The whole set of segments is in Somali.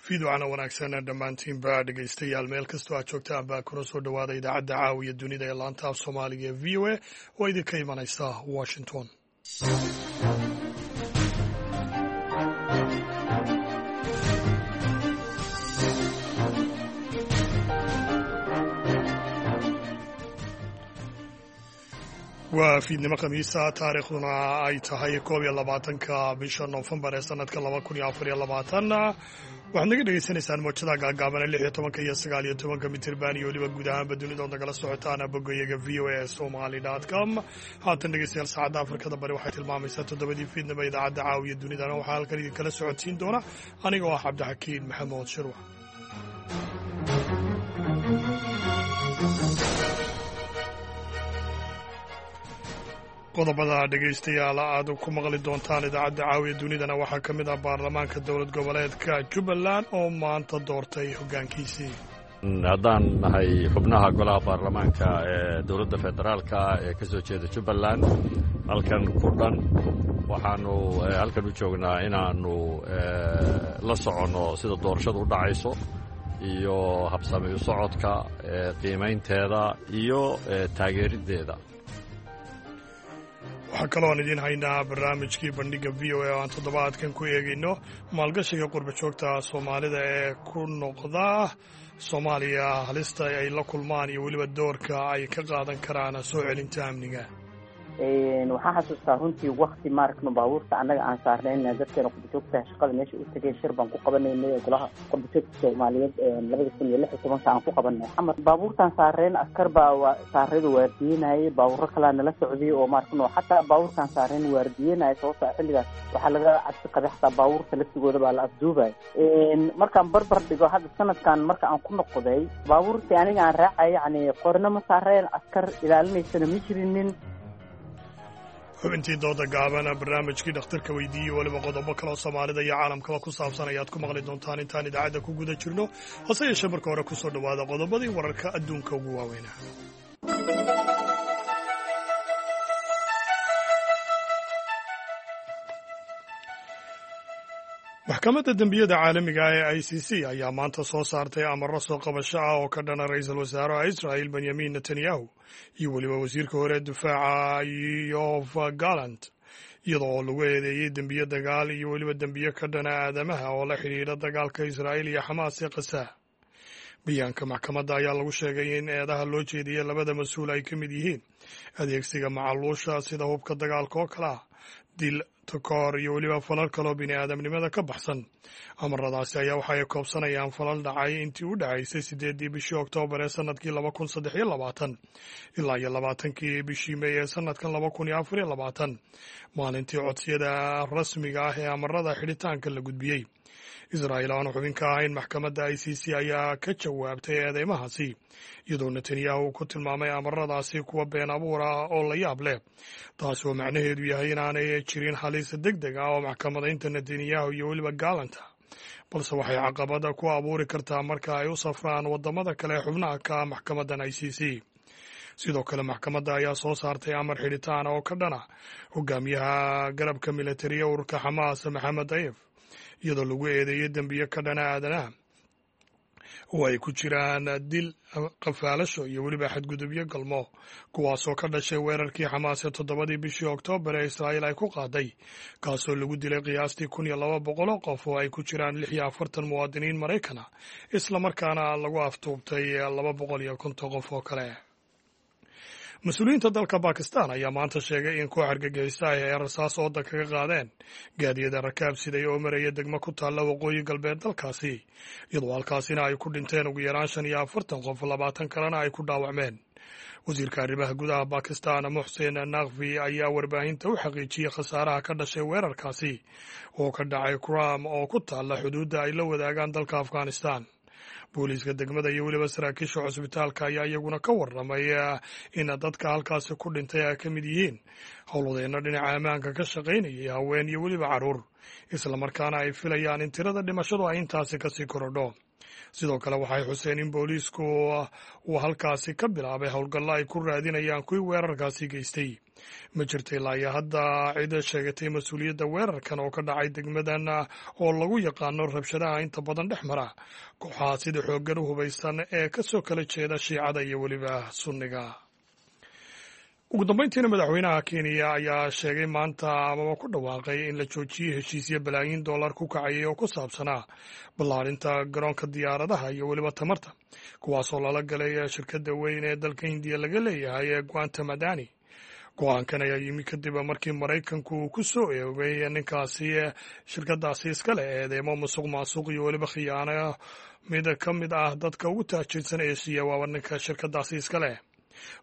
Fiidwacna wanaagsan dhammaantiinba dhegaystayaal, meel kastoo aad joogtaan baa kuna soo dhowaada idaacadda caawiya dunida ee laanta af Soomaaliga ee VOA oo idinka imanaysa Washington. Waa fiidnimo Khamiisa, taariikhduna ay tahay 21-ka bisha Noofembar ee sanadka 2024. Waxaad naga dhegaysanaysaan mowjadaha gaagaaban ee 16-ka iyo 19-ka mitirban iyo weliba guud ahaanba dunidood nagala socotaan bogoyaga voasomali.com. Haatan dhegeystayaal, saacadda Afrikada Bari waxay tilmaamaysaa 7-dii fiidnimo. Idaacadda caawiya dunidana waxaa halkan idinkala socodsiin doona aniga oo ah Cabdixakiin Maxamuud Shirwax. Qodobada dhegaystayaal aad ku maqli doontaan idaacadda caawiya dunidana waxaa ka mid ah baarlamaanka dowlad goboleedka Jubbaland oo maanta doortay hoggaankiisii. Haddaan nahay xubnaha golaha baarlamaanka ee dowladda federaalka ee ka soo jeeda Jubbaland, halkan ku dhan waxaanu halkan u joognaa inaannu la soconno sida doorashadu u dhacayso iyo habsami u socodka, qiimaynteeda iyo taageeriddeeda. Waxaa kaloo aan idiin haynaa barnaamijkii bandhigga VOA oo aan toddobaadkan ku eegayno maalgashiga qurba joogta Soomaalida ee ku noqda Soomaaliya, halista ay la kulmaan iyo weliba doorka ay ka qaadan karaan soo celinta amniga. Waxaan xasuustaa runtii wakti maaragno baabuurta annaga aan saarnayna dadkeena qurbajoogta shaqada meesha u tegay, shir baan ku qabanaynay golaha qurbajoogta Soomaaliyeed 2016-ka aan ku qabanay Xamar. Baabuurtaan saareen askar baa saarada waardiyenayay, baabuuro kalaa nala socday oo maaragno xataa baabuurtaan saareen waardiyenaya, sababta xilligaas waxaa laga cabsi qabay xataa baabuurta laftigooda baa la afduubay. Markaan barbar dhigo hadda sanadkan marka aan ku noqday, baabuurtii aniga aan raacay yacni qorna ma saareen, askar ilaalinaysana ma jirinin. Xubintii dooda gaaban, barnaamijkii dhakhtarka weydiiyey, weliba qodobo kaloo Soomaalida iyo caalamkaba ku saabsan ayaad ku maqli doontaan intaan idaacadda ku guda jirno. Hase yeeshee marka hore kusoo dhowaada qodobadii wararka adduunka ugu waaweynaa. Maxkamadda dembiyada caalamiga ah ee ICC ayaa maanta soo saartay amarro soo qabasho ah oo ka dhana ra-iisul wasaaraha Israel Benyamin Netanyahu iyo weliba wasiirka hore difaaca Yoav Gallant, iyadoo oo lagu eedeeyey dembiyo dagaal iyo weliba dembiyo ka dhana aadamaha oo la xidhiidha dagaalka Israa'iil iyo Xamaas ee Qasaa. Bayaanka maxkamadda ayaa lagu sheegay in eedaha loo jeediyey labada mas-uul ay ka mid yihiin adeegsiga macaluusha sida hubka dagaalka oo kale ah, dil, takoor iyo weliba falal kaloo bini aadamnimada ka baxsan. Amaradaasi ayaa waxa ay koobsanayaan falal dhacay intii u dhacaysay 8-dii bishii Oktoobar ee sanadkii 2023 ilaa iyo 20-kii bishii Mey ee sanadkan 2024, maalintii codsiyada rasmiga ah ee amarada xidhitaanka la gudbiyey. Israa'iil aan xubin ka ahayn maxkamadda ICC ayaa ka jawaabtay eedeymahaasi, iyadoo Netanyahu ku tilmaamay amaradaasi kuwa been abuur ah oo la yaab leh, taas oo macnaheedu yahay inaanay jirin halis deg deg ah oo maxkamadaynta Netanyahu iyo weliba Gaalanta, balse waxay caqabada ku abuuri kartaa marka ay u safraan waddamada kale xubnaha ka ah maxkamaddan ICC. Sidoo kale maxkamadda ayaa soo saartay amar xidhitaan oo ka dhana hogaamiyaha garabka militariya ururka Xamaas Maxamed Dayef, iyadoo lagu eedeeyey dembiyo ka dhana aadanaha oo ay ku jiraan dil, qafaalasho iyo weliba xadgudubyo galmo, kuwaasoo ka dhashay weerarkii Xamaas ee 7-dii bishii Oktoobar ee Israa'iil ay ku qaaday, kaasoo lagu dilay qiyaastii 1200 oo qof oo ay ku jiraan 46 muwaadiniin Maraykana, islamarkaana lagu aftuubtay 250 qof oo kale. Mas-uuliyiinta dalka Bakistan ayaa maanta sheegay in koox argagixisa ah ay rasaas ooda kaga qaadeen gaadiyada rakaab siday oo maraya degmo ku taalla waqooyi galbeed dalkaasi, iyadoo halkaasina ay ku dhinteen ugu yaraan 45 qof, 20 kalena ay ku dhaawacmeen. Wasiirka arrimaha gudaha Bakistan Muxsin Nakfi ayaa warbaahinta u xaqiijiyey khasaaraha ka dhashay weerarkaasi oo ka dhacay Kuram oo ku taalla xuduudda ay la wadaagaan dalka Afghanistan. Booliiska degmada iyo weliba saraakiisha cusbitaalka ayaa iyaguna ka warramay in dadka halkaasi ku dhintay ay ka mid yihiin howlwadeenno dhinaca ammaanka ka shaqaynayay, haween iyo weliba carruur, islamarkaana ay filayaan in tirada dhimashadu ay intaasi kasii korodho. Sidoo kale waxay xuseen in booliisku uu halkaasi ka bilaabay howlgallo ay ku raadinayaan kuwii weerarkaasi geystay. Ma jirta ilaa iyo hadda cid sheegatay mas-uuliyadda weerarkan oo ka dhacay degmadan oo lagu yaqaano rabshadaha inta badan dhex mara kooxaha sida xooggan u hubaysan ee ka soo kala jeeda Shiicada iyo weliba Sunniga. Ugu dambeyntiina, madaxweynaha Kenya ayaa sheegay maanta amaba ku dhawaaqay in la joojiyey heshiisyo balaayiin dollar ku kacayay oo ku saabsanaa ballaarinta garoonka diyaaradaha iyo weliba tamarta, kuwaasoo lala galay shirkadda weyn ee dalka Hindiya laga leeyahay ee Gautam Adani. Go-aankan ayaa yimi kadib markii Maraykanku uu ku soo eegay ninkaasi shirkadaasi iskale eedeemo musuq maasuq iyo weliba khiyaano. Mid ka mid ah dadka ugu taajirsan Eshiya waaba ninka shirkadaasi iska leh.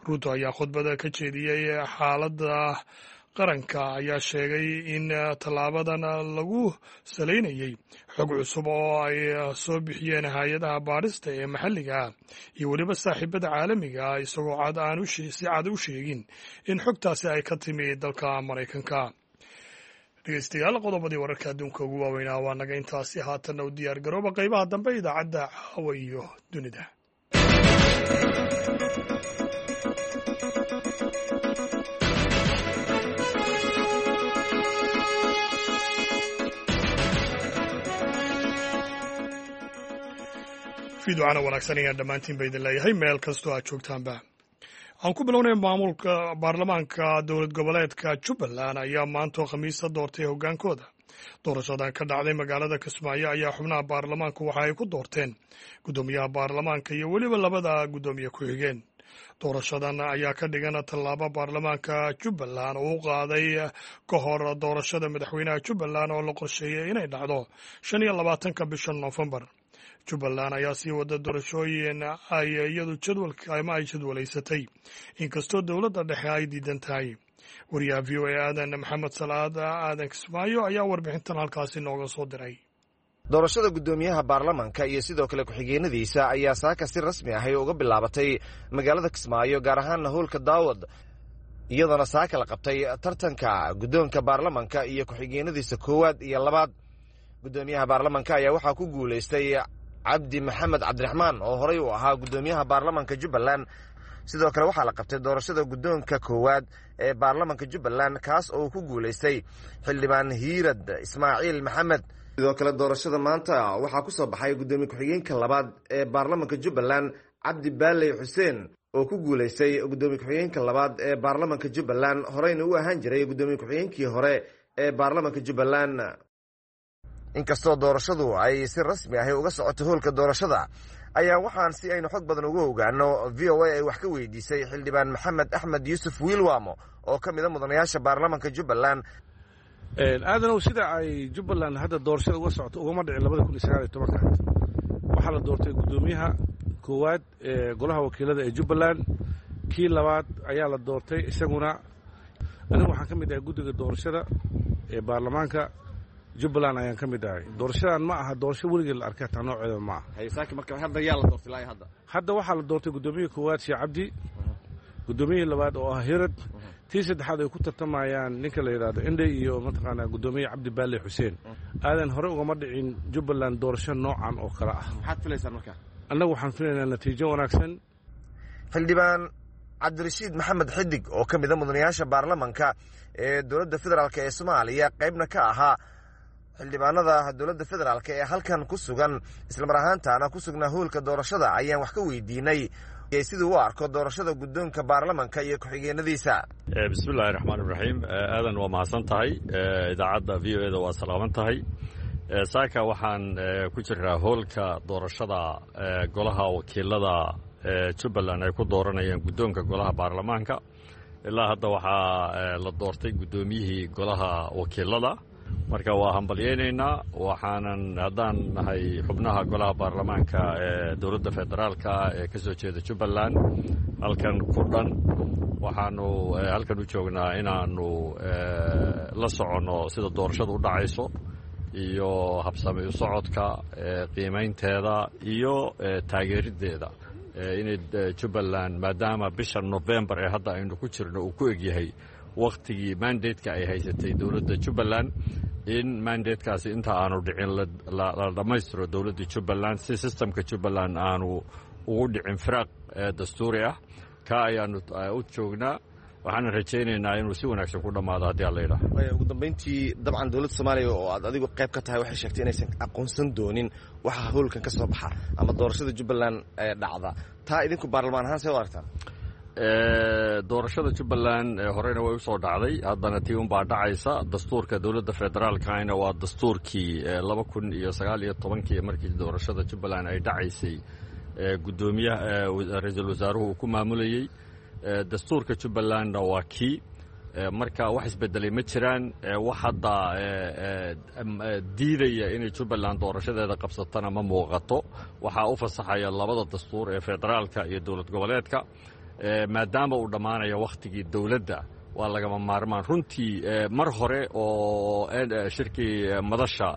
Ruuto ayaa khudbada ka jeediyey xaaladda qaranka ayaa sheegay in tallaabadan lagu salaynayey xog cusub oo ay soo bixiyeen hay-adaha baadhista ee maxalliga ah iyo weliba saaxiibada caalamiga ah, isagoo cad aan si cad u sheegin in xogtaasi ay ka timi dalka Maraykanka. Dhegeystayaal, qodobadii wararka adduunka ugu waaweynaa waa naga intaasi. Haatanna u diyaar garooba qaybaha dambe idaacadda Caawa iyo Dunida. Fiiducana wanaagsan ayaan dhammaantiin ba idin leeyahay meel kastoo aad joogtaanba. Aan ku bilownay, maamulka baarlamaanka dowlad goboleedka Jubbaland ayaa maantoo Khamiisa doortay hoggaankooda. Doorashadan ka dhacday magaalada Kismaayo ayaa xubnaha baarlamaanku waxa ay ku doorteen guddoomiyaha baarlamaanka iyo weliba labada guddoomiye ku-xigeen. Doorashadan ayaa ka dhigan tallaabo baarlamaanka Jubbaland oo u qaaday ka hor doorashada madaxweynaha Jubbaland oo la qorsheeyey inay dhacdo 25-ka bisha Noofembar. Jubbaland ayaa sii wada doorashooyin ay iyadu jadwalka ama ay jadwalaysatay, inkastoo dowladda dhexe ay diidan tahay. Wariyaha VOA Aadan Maxamed Salaad, Aadan Kismaayo, ayaa warbixintan halkaasi nooga soo diray. Doorashada guddoomiyaha baarlamanka iyo sidoo kale ku-xigeenadiisa ayaa saaka si rasmi ahi uga bilaabatay magaalada Kismaayo, gaar ahaanna hoolka Daawad, iyadoona saaka la qabtay tartanka guddoonka baarlamanka iyo ku-xigeenadiisa koowaad iyo labaad. Guddoomiyaha baarlamanka ayaa waxaa ku guulaystay Cabdi Maxamed Cabdiraxmaan oo horey u ahaa guddoomiyaha baarlamanka Jubbaland. Sidoo kale waxaa la qabtay doorashada guddoonka koowaad ee baarlamanka Jubbaland, kaas oo ku guulaystay xildhibaan Hiirad Ismaaciil Maxamed. Sidoo kale doorashada maanta waxaa ku soo baxay guddoomiye ku-xigeenka labaad ee baarlamanka Jubbaland, Cabdi Baaley Xuseen, oo ku guulaystay guddoomiye ku-xigeenka labaad ee baarlamanka Jubbaland, horeyna u ahaan jiray guddoomiye ku-xigeenkii hore ee baarlamanka Jubbaland. Inkastoo doorashadu ay si rasmi ahi uga socoto hoolka doorashada, ayaa waxaan si aynu xog badan uga ogaano VOA ay wax ka weydiisay xildhibaan Maxamed Axmed Yuusuf Wiilwamo oo ka mida mudanayaasha baarlamanka Jubbaland. Aadanow, sida ay Jubbaland hadda doorashada uga socoto ugama dhicin 2019-ka. Waxaa la doortay guddoomiyaha koowaad ee golaha wakiilada ee Jubbaland, kii labaad ayaa la doortay isaguna. Anigu waxaan ka mid ahay guddiga doorashada ee baarlamaanka Jubbaland ayaan ka mid ahay. Doorashadan ma aha doorasho weligeed la arkay, hataa nooceeda ma aha. Hadda waxaa la doortay guddoomiyihii koowaad, Sheekh Cabdi, guddoomiyihii labaad oo ah Hirad, tii saddexaad ay ku tartamayaan ninka la yidhaahdo Indhe iyo mataqaanaa guddoomiye Cabdi Baale Xuseen. Aadan, hore ugama dhicin Jubbaland doorasho noocan oo kale ah. Annagu waxaan filaynaa natiijo wanaagsan. Xildhibaan Cabdirashiid Maxamed Xidig oo ka mida mudanayaasha baarlamanka ee dowladda federaalk ee Soomaaliya, qaybna ka ahaa xildhibaanada dowladda federaalk ee halkan ku sugan, islamar ahaantaana ku sugnaa hoolka doorashada, ayaan wax ka weydiinay siduu u arko doorashada guddoonka baarlamanka iyo ku-xigeenadiisa. Bismillahi raxmaan iraxiim. Aadan, waa mahadsan tahay. Idaacadda VOA da waa salaaman tahay. Saaka waxaan ku jiraa hoolka doorashada golaha wakiilada Jubbaland ay ku dooranayeen guddoonka golaha baarlamaanka. Ilaa hadda waxaa la doortay guddoomiyihii golaha wakiilada. Marka waa hambalyaynaynaa, waxaanan haddaan nahay xubnaha golaha baarlamaanka ee dowladda federaalka ee ka soo jeeda Jubbaland halkan ku dhan, waxaanu halkan u joognaa inaannu la soconno sida doorashadu u dhacayso iyo habsami u socodka, qiimaynteeda iyo taageeriddeeda inay Jubbaland, maadaama bisha Nofembar ee hadda aynu ku jirno uu ku egyahay wakhtigii mandateka ay haysatay dowladda Jubbaland. In mandatekaasi inta aanu dhicin la dhammaystiro dowladda Jubbaland, si systemka Jubbaland aanu ugu dhicin firaaq dastuuri ah. Ka ayaanu u joognaa, waxaana rajaynaynaa inuu si wanaagsan ku dhammaado haddii alla yidhaah. Ugu dambayntii, dabcan dowladda Soomaaliya oo aad adigu qayb ka tahay waxay sheegtay inaysan aqoonsan doonin waxa howlkan ka soo baxa ama doorashada Jubbaland ee dhacda. Taa idinku baarlamaan ahaan see u aragtaan? Doorashada Jubbaland horeyna way usoo dhacday, haddana tii unbaa dhacaysa. Dastuurka dowladda federaalkana waa dastuurkii 2019-kii markii doorashada Jubbaland ay dhacaysay guddoomiyaha ra-iisul wasaaruhu uu ku maamulayey. Dastuurka Jubbalandna waa kii. Marka wax isbedelay ma jiraan. Wax hadda diidaya inay Jubbaland doorashadeeda qabsatana ma muuqato. Waxaa u fasaxaya labada dastuur ee federaalka iyo dowlad goboleedka. Maadaama uu dhammaanayo wakhtigii dowladda, waa lagama maarmaan. Runtii mar hore oo shirkii madasha,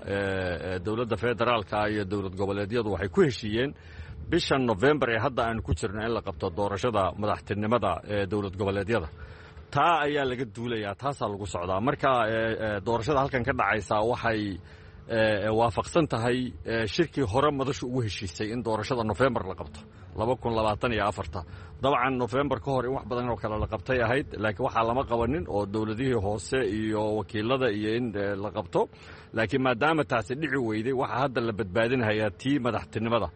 dowladda federaalka iyo dowlad goboleedyadu waxay ku heshiiyeen bisha Novembar ee hadda aanu ku jirno in la qabto doorashada madaxtinimada ee dowlad goboleedyada. Taa ayaa laga duulayaa, taasaa lagu socdaa. Marka doorashada halkan ka dhacaysa waxay waafaqsan tahay shirkii hore madashu ugu heshiisay in doorashada Nofembar la qabto 2024-ta. Dabcan Nofembar ka hor in wax badan oo kale la qabtay ahayd, laakiin waxaa lama qabanin oo dowladihii hoose iyo wakiilada iyo in la qabto. Laakiin maadaama taasi dhici weyday, waxaa hadda la badbaadinhayaa tii madaxtinimada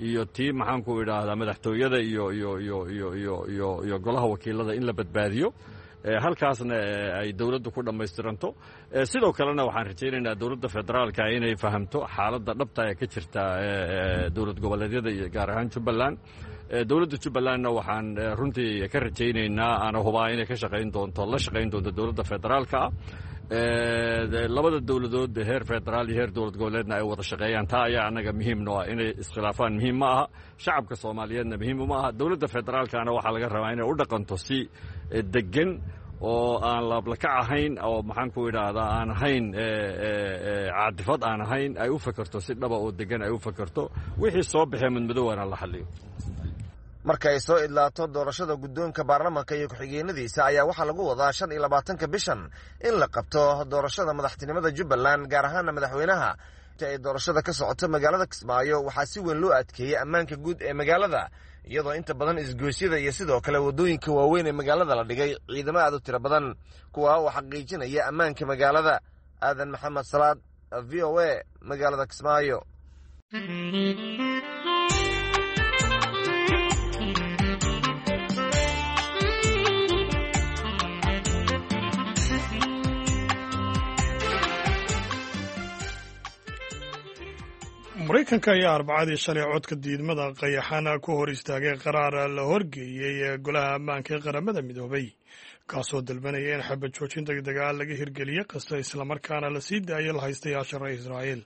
iyo tii, maxaanku idhaahdaa, madaxtooyada iyo iyo iyo iyo iyo iyo iyo golaha wakiilada in la badbaadiyo, halkaasna ay dowladdu ku dhammaystiranto. Sidoo kalena waxaan rajaynaynaa dowladda federaalka inay fahamto xaaladda dhabta ee ka jirta dowlad goboleedyada iyo gaar ahaan Jubbaland. Dowladda Jubbalandna waxaan runtii ka rajaynaynaa, ana hubaa, inay ka shaqayn doonto, la shaqayn doonto dowladda federaalka ah, labada dowladood heer federaal iyo heer dowlad goboleedna ay wada shaqeeyaan. Taa ayaa annaga muhiim noo ah. Inay iskhilaafaan muhiim ma aha, shacabka Soomaaliyeedna muhiim uma aha. Dowladda federaalkana waxaa laga rabaa inay u dhaqanto si degan oo aan laablakac ahayn, oo maxaan ku idhaahdaa, aan ahayn caadifad aan ahayn, ay u fakerto si dhaba oo degan ay u fakerto. Wixii soo baxee madmadowana la xaliyo. Marka ay soo idlaato doorashada guddoonka baarlamanka iyo ku-xigeenadiisa ayaa waxaa lagu wadaa 25-ka bishan in la qabto doorashada madaxtinimada Jubbaland, gaar ahaana madaxweynaha. Inta ay doorashada ka socoto magaalada Kismaayo waxaa si weyn loo adkeeyey ammaanka guud ee magaalada, iyadoo inta badan isgoysyada iyo sidoo kale waddooyinka waaweyn ee magaalada la dhigay ciidamo aad u tiro badan, kuwaa oo xaqiijinaya ammaanka magaalada. Aadan Maxamed Salaad, VOA, magaalada Kismaayo. Maraykanka ayaa Arbacadii shalay codka diidmada qayaxana ku hor istaagay qaraar la horgeeyey ee Golaha Ammaanka ee Qaramada Midoobay, kaasoo dalbanaya in xabad joojin degdega laga hirgeliyey Qasa, islamarkaana la sii daayo la haystayaasha reer Israa'iil.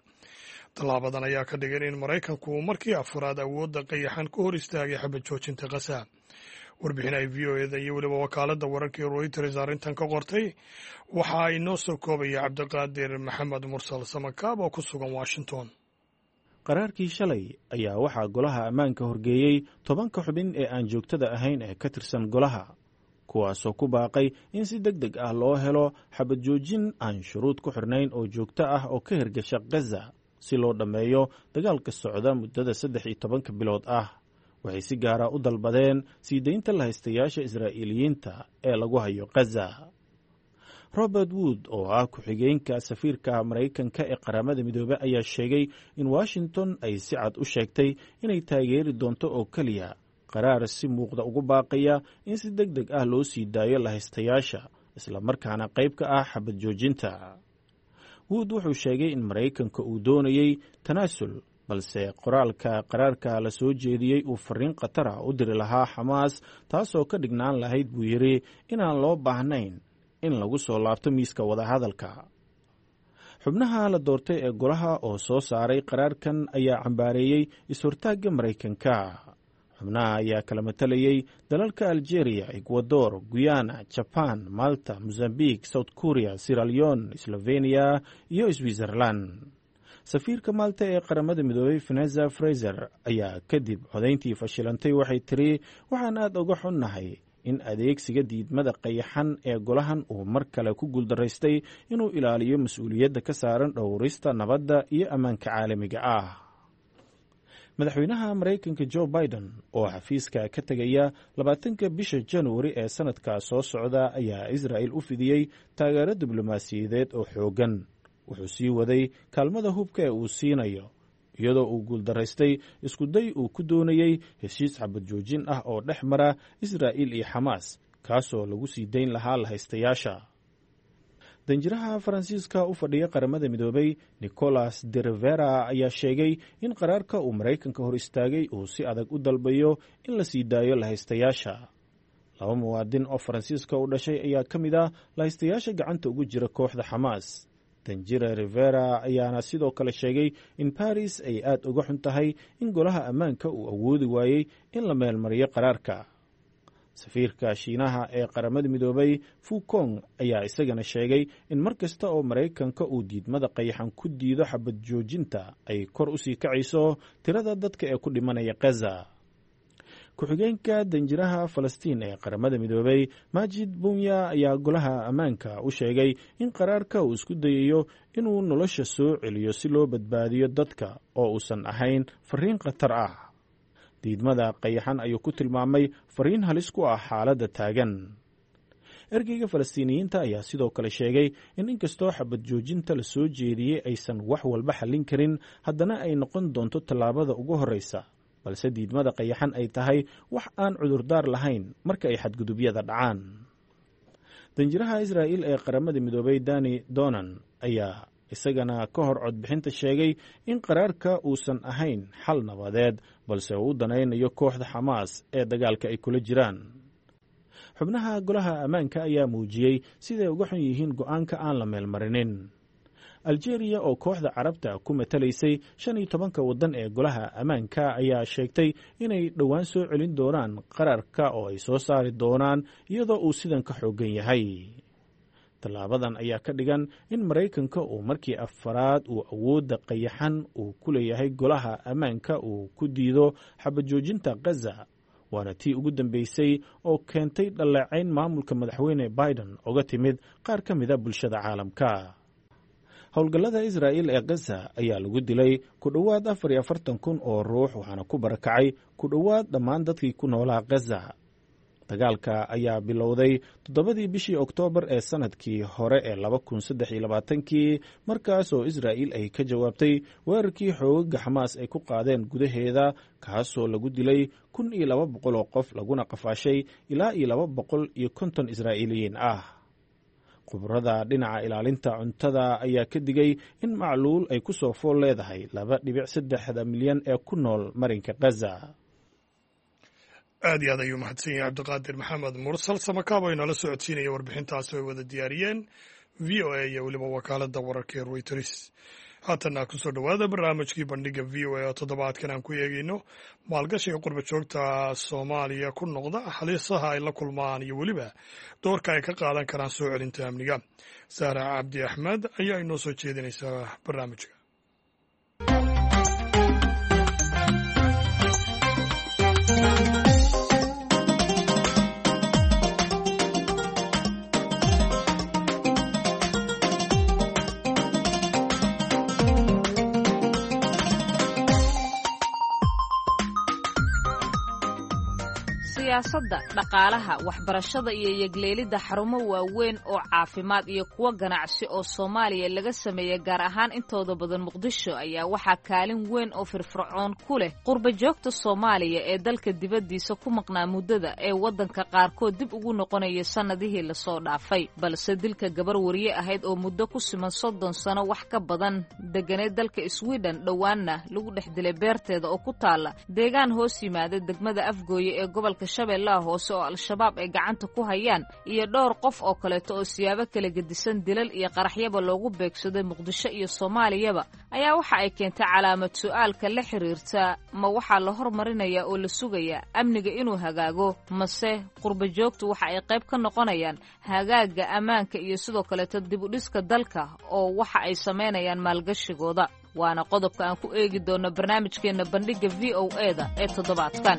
Tallaabadan ayaa ka dhigan in Maraykanku uu markii afraad awoodda qayaxan ku hor istaagay xabad joojinta Qasa. Warbixin ay VOA-da iyo weliba wakaaladda wararka ee Reuters arrintan ka qortay waxa inoo soo koobaya Cabdiqaadir Maxamed Mursal Samakaab oo ku sugan Washington. Qaraarkii shalay ayaa waxaa Golaha Ammaanka horgeeyey 10-ka xubin ee aan joogtada ahayn ee ka tirsan golaha, kuwaasoo ku baaqay in si deg deg ah loo helo xabad joojin aan shuruud ku xirnayn oo joogto ah oo ka hirgasha Gaza, si loo dhammeeyo dagaalka socda muddada 13-ka bilood ah. Waxay si gaara u dalbadeen sii deynta lahaystayaasha Israa'iiliyiinta ee lagu hayo Gaza. Robert Wood oo ah ku-xigeenka safiirka Maraykanka ee Qaramada Midoobey ayaa sheegay in Washington ay si cad u sheegtay inay taageeri doonto oo keliya qaraar si muuqda ugu baaqaya in si deg deg ah loo sii daayo lahaystayaasha, islamarkaana qayb ka ah xabad joojinta. Wood wuxuu sheegay in Maraykanka uu doonayey tanaasul, balse qoraalka qaraarka la soo jeediyey uu fariin khatara u diri lahaa Xamaas, taasoo ka dhignaan lahayd, buu yidhi, inaan loo baahnayn in lagu soo laabto miiska wadahadalka. Xubnaha la doortay ee golaha oo soo saaray qaraarkan ayaa cambaareeyey is-hortaagga Maraykanka. Xubnaha ayaa kala matalayey dalalka Algeria, Ecuador, Guyana, Jaban, Malta, Mozambique, South Korea, Sierra Leone, Slovenia iyo Switzerland. Safiirka Malta ee Qaramada Midoobey, Veneza Fraser, ayaa kadib codayntii fashilantay waxay tiri: "Waxaan aad uga xunnahay in adeegsiga diidmada qayaxan ee golahan uu mar kale ku guuldaraystay inuu ilaaliyo mas-uuliyadda ka saaran dhowrista nabadda iyo ammaanka caalamiga ah. Madaxweynaha Maraykanka Jo Biden oo xafiiska ka tegaya 20-ka bisha Januari ee sanadka soo socda ayaa Israa'il u fidiyey taageero diblomaasiyadeed oo xooggan. Wuxuu sii waday kaalmada hubka ee uu siinayo, iyadoo uu guuldaraystay iskuday uu ku doonayey heshiis xabad joojin ah oo dhex mara Israa'iil iyo Xamaas, kaasoo lagu sii dayn lahaa lahaystayaasha. Danjiraha Faransiiska u fadhiya Qaramada Midoobay, Nicolas de Rivera, ayaa sheegay in qaraarka uu Maraykanka hor istaagay uu si adag u dalbayo in la sii daayo lahaystayaasha. Laba muwaadin oo Faransiiska u dhashay ayaa ka mid ah lahaystayaasha gacanta ugu jira kooxda Xamaas. Danjira Rivera ayaana sidoo kale sheegay in Baris ay aad uga xun tahay in Golaha Ammaanka uu awoodi waayey in la meelmariyo qaraarka. Safiirka Shiinaha ee Qaramada Midoobay, Fukong, ayaa isagana sheegay in mar kasta oo Maraykanka uu diidmada qayaxan ku diido xabad joojinta ay kor u sii kacayso tirada dadka ee ku dhimanaya Khaza. Ku-xigeenka danjiraha Falastiin ee Qaramada Midoobay, Majid Bunya, ayaa Golaha Ammaanka u sheegay in qaraarka uu isku dayayo inuu nolosha soo celiyo si loo badbaadiyo dadka oo uusan ahayn fariin khatar ah. Diidmada qayaxan ayuu ku tilmaamay fariin halis ku ah xaaladda taagan. Ergeyga Falastiiniyiinta ayaa sidoo kale sheegay in inkastoo xabad joojinta la soo jeediyey aysan wax walba xallin karin, haddana ay noqon doonto tallaabada ugu horreysa, balse diidmada qayaxan ay tahay wax aan cudurdaar lahayn marka ay xadgudubyada dhacaan. Danjiraha Israa'iil ee Qaramada Midoobay, Dani Donan, ayaa isagana ka hor codbixinta sheegay in qaraarka uusan ahayn xal nabadeed, balse uu u danaynayo kooxda Xamaas ee dagaalka ay kula jiraan. Xubnaha Golaha Ammaanka ayaa muujiyey siday uga xun yihiin go'aanka aan la meelmarinin. Aljeeriya oo kooxda Carabta ku matalaysay 15-ka waddan ee Golaha Ammaanka ayaa sheegtay inay dhowaan soo celin doonaan qaraarka oo ay soo saari doonaan iyadoo uu sidan ka xooggan yahay. Tallaabadan ayaa ka dhigan in Maraykanka uu markii afaraad uu awoodda qayaxan uu ku leeyahay Golaha Ammaanka uu ku diido xabad joojinta Khaza, waana tii ugu dambeysay oo keentay dhaleecayn maamulka madaxweyne Biden oga timid qaar ka mida bulshada caalamka. Howlgallada Israa'iil ee Khaza ayaa lagu dilay ku dhowaad 44,000 oo ruux, waxaana ku barakacay ku dhowaad dhammaan dadkii ku noolaa Khaza. Dagaalka ayaa bilowday 7-dii bishii Oktoobar ee sanadkii hore ee 2023-kii, markaas oo Israa'iil ay ka jawaabtay weerarkii xoogaga Xamaas ay ku qaadeen gudaheeda, kaasoo lagu dilay 1,200 oo qof laguna qafaashay ilaa iyo 250 Israa'iiliyiin ah. Khubrada dhinaca ilaalinta cuntada ayaa ka digay in macluul ay ku soo fool leedahay 2.3-da milyan ee ku nool marinka Khaza. Aad iyo aad ayuu mahadsan yahay Cabdiqaadir Maxamed Mursal Samakaabo inala socodsiinaya warbixintaasi ay wada diyaariyeen VOA iyo weliba wakaaladda wararka ee Reuters. Haatanna kusoo dhowaada barnaamijkii Bandhiga VOA oo toddobaadkan aan ku eegeyno maalgashiga qurba joogta Soomaaliya ku noqda, halisaha ay la kulmaan iyo weliba doorka ay ka qaadan karaan soo celinta amniga. Saara Cabdi Axmed ayaa inoo soo jeedinaysaa barnaamijka. Siyaasadda, dhaqaalaha, waxbarashada iyo yegleelidda xarumo waaweyn oo caafimaad iyo kuwo ganacsi oo Soomaaliya laga sameeyey, gaar ahaan intooda badan Muqdisho, ayaa waxaa kaalin weyn oo firfircoon ku leh qurba joogta Soomaaliya ee dalka dibaddiisa ku maqnaa muddada ee waddanka qaarkood dib ugu noqonaya sannadihii lasoo dhaafay. Balse dilka gabar wariye ahayd oo muddo ku siman 30 sano wax ka badan deganeed dalka Sweden, dhowaanna lagu dhex dilay beerteeda oo ku taalla deegaan hoos yimaada degmada Afgooye ee gobolka Shabeellaha Hoose oo Al-Shabaab ay gacanta ku hayaan, iyo dhowr qof oo kaleeto oo siyaabo kala gedisan dilal iyo qaraxyaba loogu beegsaday Muqdisho iyo Soomaaliyaba, ayaa waxa ay keentay calaamad su'aalka la xiriirta: ma waxaa la hormarinayaa oo la sugayaa amniga inuu hagaago, mase qurba joogtu waxa ay qayb ka noqonayaan hagaagga ammaanka iyo sidoo kaleeto dib u dhiska dalka oo waxa ay samaynayaan maalgashigooda? Waana qodobka aan ku eegi doonno barnaamijkeenna Bandhigga VOA-da ee toddobaadkan.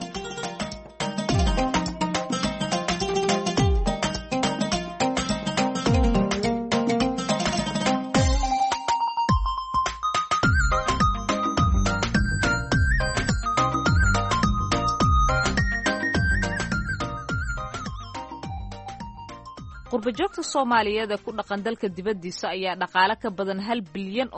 Qurbajoogta Soomaaliyeed ee ku dhaqan dalka dibaddiisa ayaa dhaqaale ka badan $1 bilyan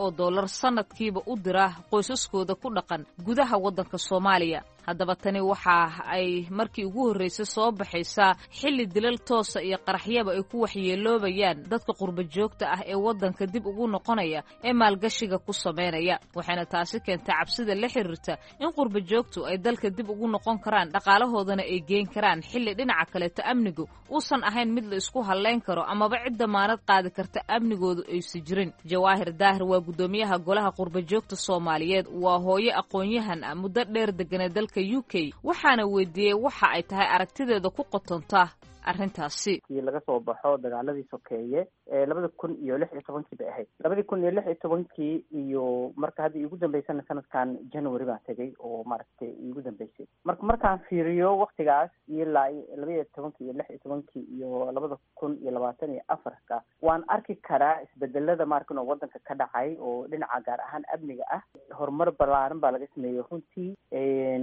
sanadkiiba u dira qoysaskooda ku dhaqan gudaha waddanka Soomaaliya. Haddaba tani waxa ay markii ugu horreysay soo baxaysaa xilli dilal toosa iyo qaraxyaba ay ku waxyeeloobayaan dadka qurbajoogta ah ee waddanka dib ugu noqonaya ee maalgashiga ku samaynaya, waxayna taasi keentay cabsida la xiriirta in qurbajoogtu ay dalka dib ugu noqon karaan, dhaqaalahoodana ay geen karaan, xilli dhinaca kaleeto amnigu uusan ahayn mid la isku hallayn karo amaba cid damaanad qaadi karta amnigoodu aysa jirin. Jawaahir Daahir waa guddoomiyaha golaha qurbajoogta Soomaaliyeed, waa hooyo aqoon-yahan ah, muddo dheer deganee dalka UK, waxaana weydiiyey waxa ay tahay aragtideeda ku qotonta arrintaasi. Laga soo baxo dagaaladii sokeeye 2016-kii bay ahayd, 2016-kii iyo marka hadda iigu dambeysana sanadkan January baan tegay oo maaragtay iigu dambeysay. Marka markaan fiiriyo waktigaas ilaa 12-kii iyo 16-kii iyo 2024-ka, waan arki karaa isbedelada maarkan oo wadanka ka dhacay oo dhinaca gaar ahaan amniga ah. Horumar balaaran baa laga sameeyey runtii.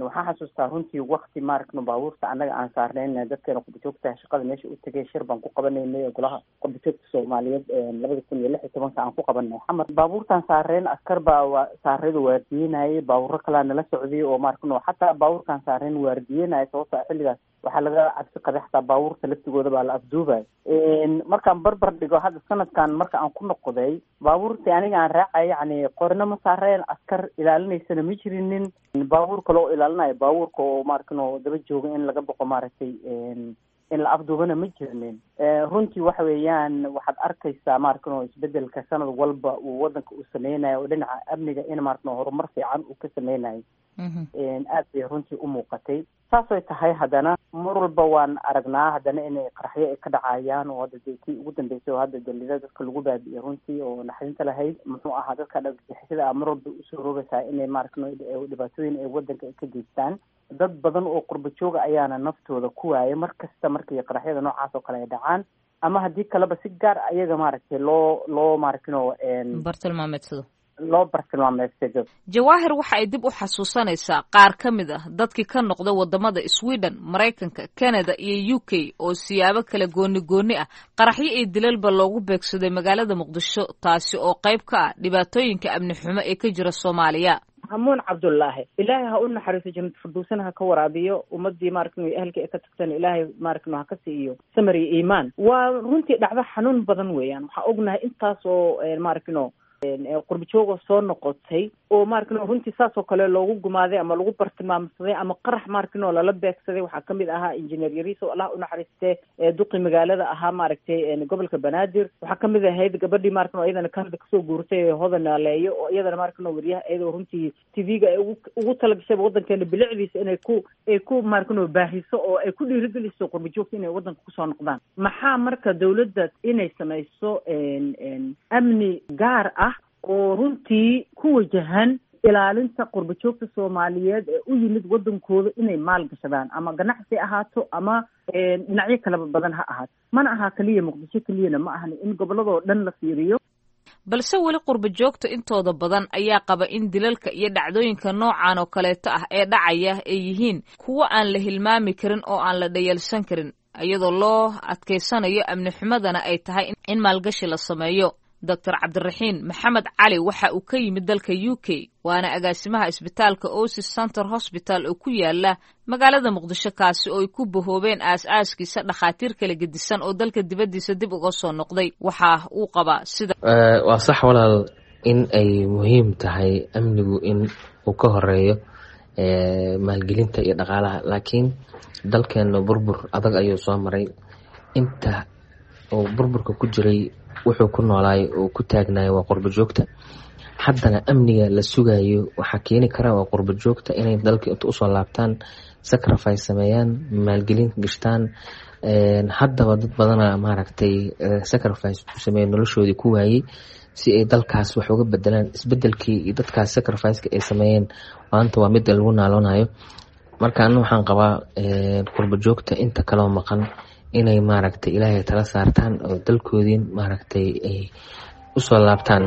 Waxaan xasuustaa runtii wakti maaragno baabuurta annaga aan saarnayn dadkeena qurbajoogta shaqada meesha u tegay, shir baan ku qabanaynay golaha qurbajoogta Soomaaliyeed 2016-ka aan ku qabanay Xamar. Baabuurtaan saareen askar baa wa saareedu waardiyenayay, baabuuro kalaa nala socday oo maaragno xataa baabuurkaan saareen waardiyenaya, sababto ah xilligaas waxaa laga cabsi qabay xataa baabuurta laftigooda baa la afduubay. Markaan barbar dhigo hadda sanadkan marka aan ku noqday, baabuurtii aniga aan raacay yacni qorna ma saareen, askar ilaalinaysana ma jirinin, baabuur kale oo ilaalinayo baabuurka oo maaragno daba jooga in laga boqo maaragtay in la afduubana ma jirnin. Runtii waxa weeyaan waxaad arkaysaa maaragno isbedelka sanad walba uu wadanka uu sameynayo oo dhinaca amniga in maaragno horumar fiican uu ka sameynayo, aad bay runtii u muuqatay. Saasay tahay haddana mar walba waan aragnaa haddana inay qaraxyo ay ka dhacayaan, oo hadda dee kii ugu dambeysay oo hadda dalida dadka lagu baabi'iyey runtii oo naxdinta lahayd muxuu ahaa. Dadka dhagagixisada ah mar walba usoo rogaysaa inay maaragno dhibaatooyin ay wadanka ay ka geystaan. Dad badan oo qurba jooga ayaana naftooda ku waayay mar kasta markii qaraxyada noocaas oo kale ay dhacaan, ama haddii kaleba si gaar ayaga maaragtay loo maaragtino bartilmaameedsado. Loo bartilmaameedsado. Jawaahir waxa ay dib u xasuusanaysaa qaar ka mid ah dadkii ka noqda waddamada Sweden, Maraykanka, Canada iyo UK oo siyaabo kala gooni gooni ah qaraxyo iyo dilalba loogu beegsaday magaalada Muqdisho, taasi oo qayb ka ah dhibaatooyinka amni xumo ee ka jira Soomaaliya. Hamuun Cabdullaahi, Ilaahay ha u naxariiso, jannat firdowsana ha ka waraabiyo, ummadii maaragtay ehelka ee ka tagtana Ilaahay maaragtay ha ka siiyo samir iyo iimaan. Waa runtii dhacdo xanuun badan weeyaan. Waxaa ognahay intaas oo maaragtino qurbajoogoo soo noqotay oo maaragtino runtii saas oo kale loogu gumaaday ama lagu bartilmaamsaday ama qarax maaragtino lala beegsaday. Waxaa kamid ahaa injineer Yariis oo Allah u naxariistee duqi magaalada ahaa maaragtay gobolka Banaadir. Waxaa kamid ahayd gabadhii maaragtino iyadana Canada kasoo guurtay ee Hodan Naaleeyo, oo iyadana maaragtino wariyaha iyadoo runtii TV-ga ay ugu talagashay wadankeena bilicdiisa inay ku ay ku maaragtino baahiso oo ay ku dhiirigeliso qurbajoogta inay wadanka kusoo noqdaan. Maxaa marka dawladda inay samayso amni gaar ah oo runtii ku wajahan ilaalinta qurbajoogta Soomaaliyeed ee u yimid wadankooda inay maal gashadaan, ama ganacsi ahaato ama dhinacyo kalaba badan ha ahaato. Mana aha keliya Muqdisho keliyana ma ahan, in gobolladoo dhan la fiiriyo. Balse weli qurbajoogta intooda badan ayaa qaba in dilalka iyo dhacdooyinka noocan oo kaleeto ah ee dhacaya ay yihiin kuwo aan la hilmaami karin oo aan la dhayalsan karin, iyadoo loo adkaysanayo amni xumadana ay tahay in maalgashi la sameeyo. Doctor Cabdiraxiin Maxamed Cali waxa uu ka yimid dalka UK, waana agaasimaha isbitaalka Osis Center Hosbital oo ku yaala magaalada Muqdisho, kaasi oo ay ku bahoobeen aas-aaskiisa dhakhaatiir kala gedisan oo dalka dibaddiisa dib uga soo noqday. Waxa uu qabaa sida Waa sax walaal in ay muhiim tahay amnigu in uu ka horeeyo maalgelinta iyo dhaqaalaha, laakiin dalkeena burbur adag ayuu soo maray. Inta uu burburka ku jiray wuxuu ku noolaay oo ku taagnaay waa qurbo joogta. Haddana amniga la sugayo waxaa keeni kara waa qurbo joogta inay dalka inta usoo laabtaan, sacrifice sameeyaan, maalgelin gashtaan. Haddaba dad badana maaragtay sacrifice ku sameeya, noloshoodii ku waayey si ay dalkaas wax uga bedelaan. Isbedelkii iyo dadkaas sacrificeka ay sameeyeen maanta waa midda lagu naaloonayo. Marka ana waxaan qabaa qurbo joogta inta kaloo maqan inay maaragtay Ilaahay tala saartaan oo dalkoodii maaragtay ay usoo laabtaan.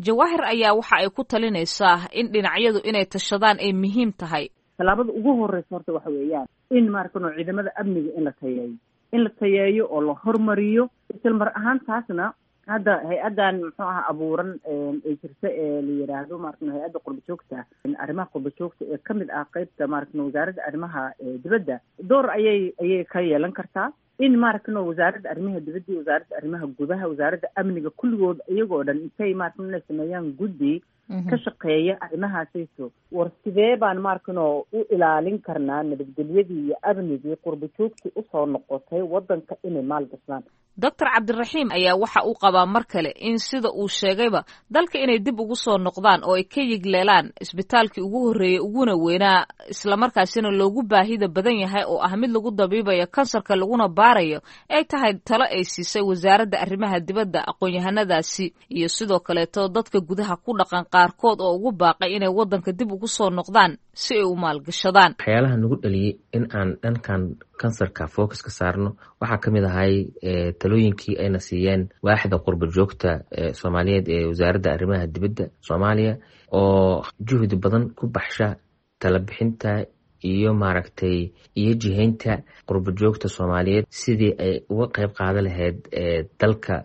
Jawaahir ayaa waxa ay ku talinaysaa in dhinacyadu inay tashadaan ay muhiim tahay. Tallaabada ugu horeysa horta waxa weeyaan in maaragtay ciidamada amniga in la tayeeyo. In la tayeeyo oo la hormariyo. Isla mar ahaantaasna hadda hay-addan muxuu aha abuuran ee jirta ee la yidhaahdo maaragtay hay-adda qurbajoogta, arrimaha qurbajoogta ee kamid ah qeybta maaragtay wasaaradda arrimaha dibadda, door ayay ka yeelan kartaa in maaragtay wasaaradda arrimaha dibadda iyo wasaaradda arrimaha gudaha, wasaaradda amniga, kulligood iyagoo dhan intay maaragtay inay sameeyaan guddi ka shaqeeya arrimahaasayso. War sidee baan maarkano u ilaalin karnaa nabadgelyadii iyo amnigii qurbajoogtii usoo noqotay waddanka inay maal gashaan? Doctor Cabdiraxiim ayaa waxa uu qabaa mar kale in sida uu sheegayba dalka inay dib ugu soo noqdaan oo ay ka yigleelaan isbitaalkii ugu horreeyey uguna weynaa, islamarkaasina loogu baahida badan yahay, oo ah mid lagu dabiibayo kansarka laguna baarayo, ay tahay talo ay siisay wasaaradda arrimaha dibadda aqoon-yahanadaasi iyo sidoo kaleeto dadka gudaha ku dhaqan qaarkood oo ugu baaqay inay waddanka dib ugu soo noqdaan si ay u maalgashadaan. Waxyaalaha nagu dhaliyey in aan dhankan kansarka focus ka saarno waxaa ka mid ahay talooyinkii ayna siiyeen waaxda qurba joogta soomaaliyeed ee wasaaradda arrimaha dibadda Soomaaliya, oo juhdi badan ku baxsha talabixinta iyo maaragtay iyo jihaynta qurba joogta soomaaliyeed sidii ay uga qeyb qaadan lahayd dalka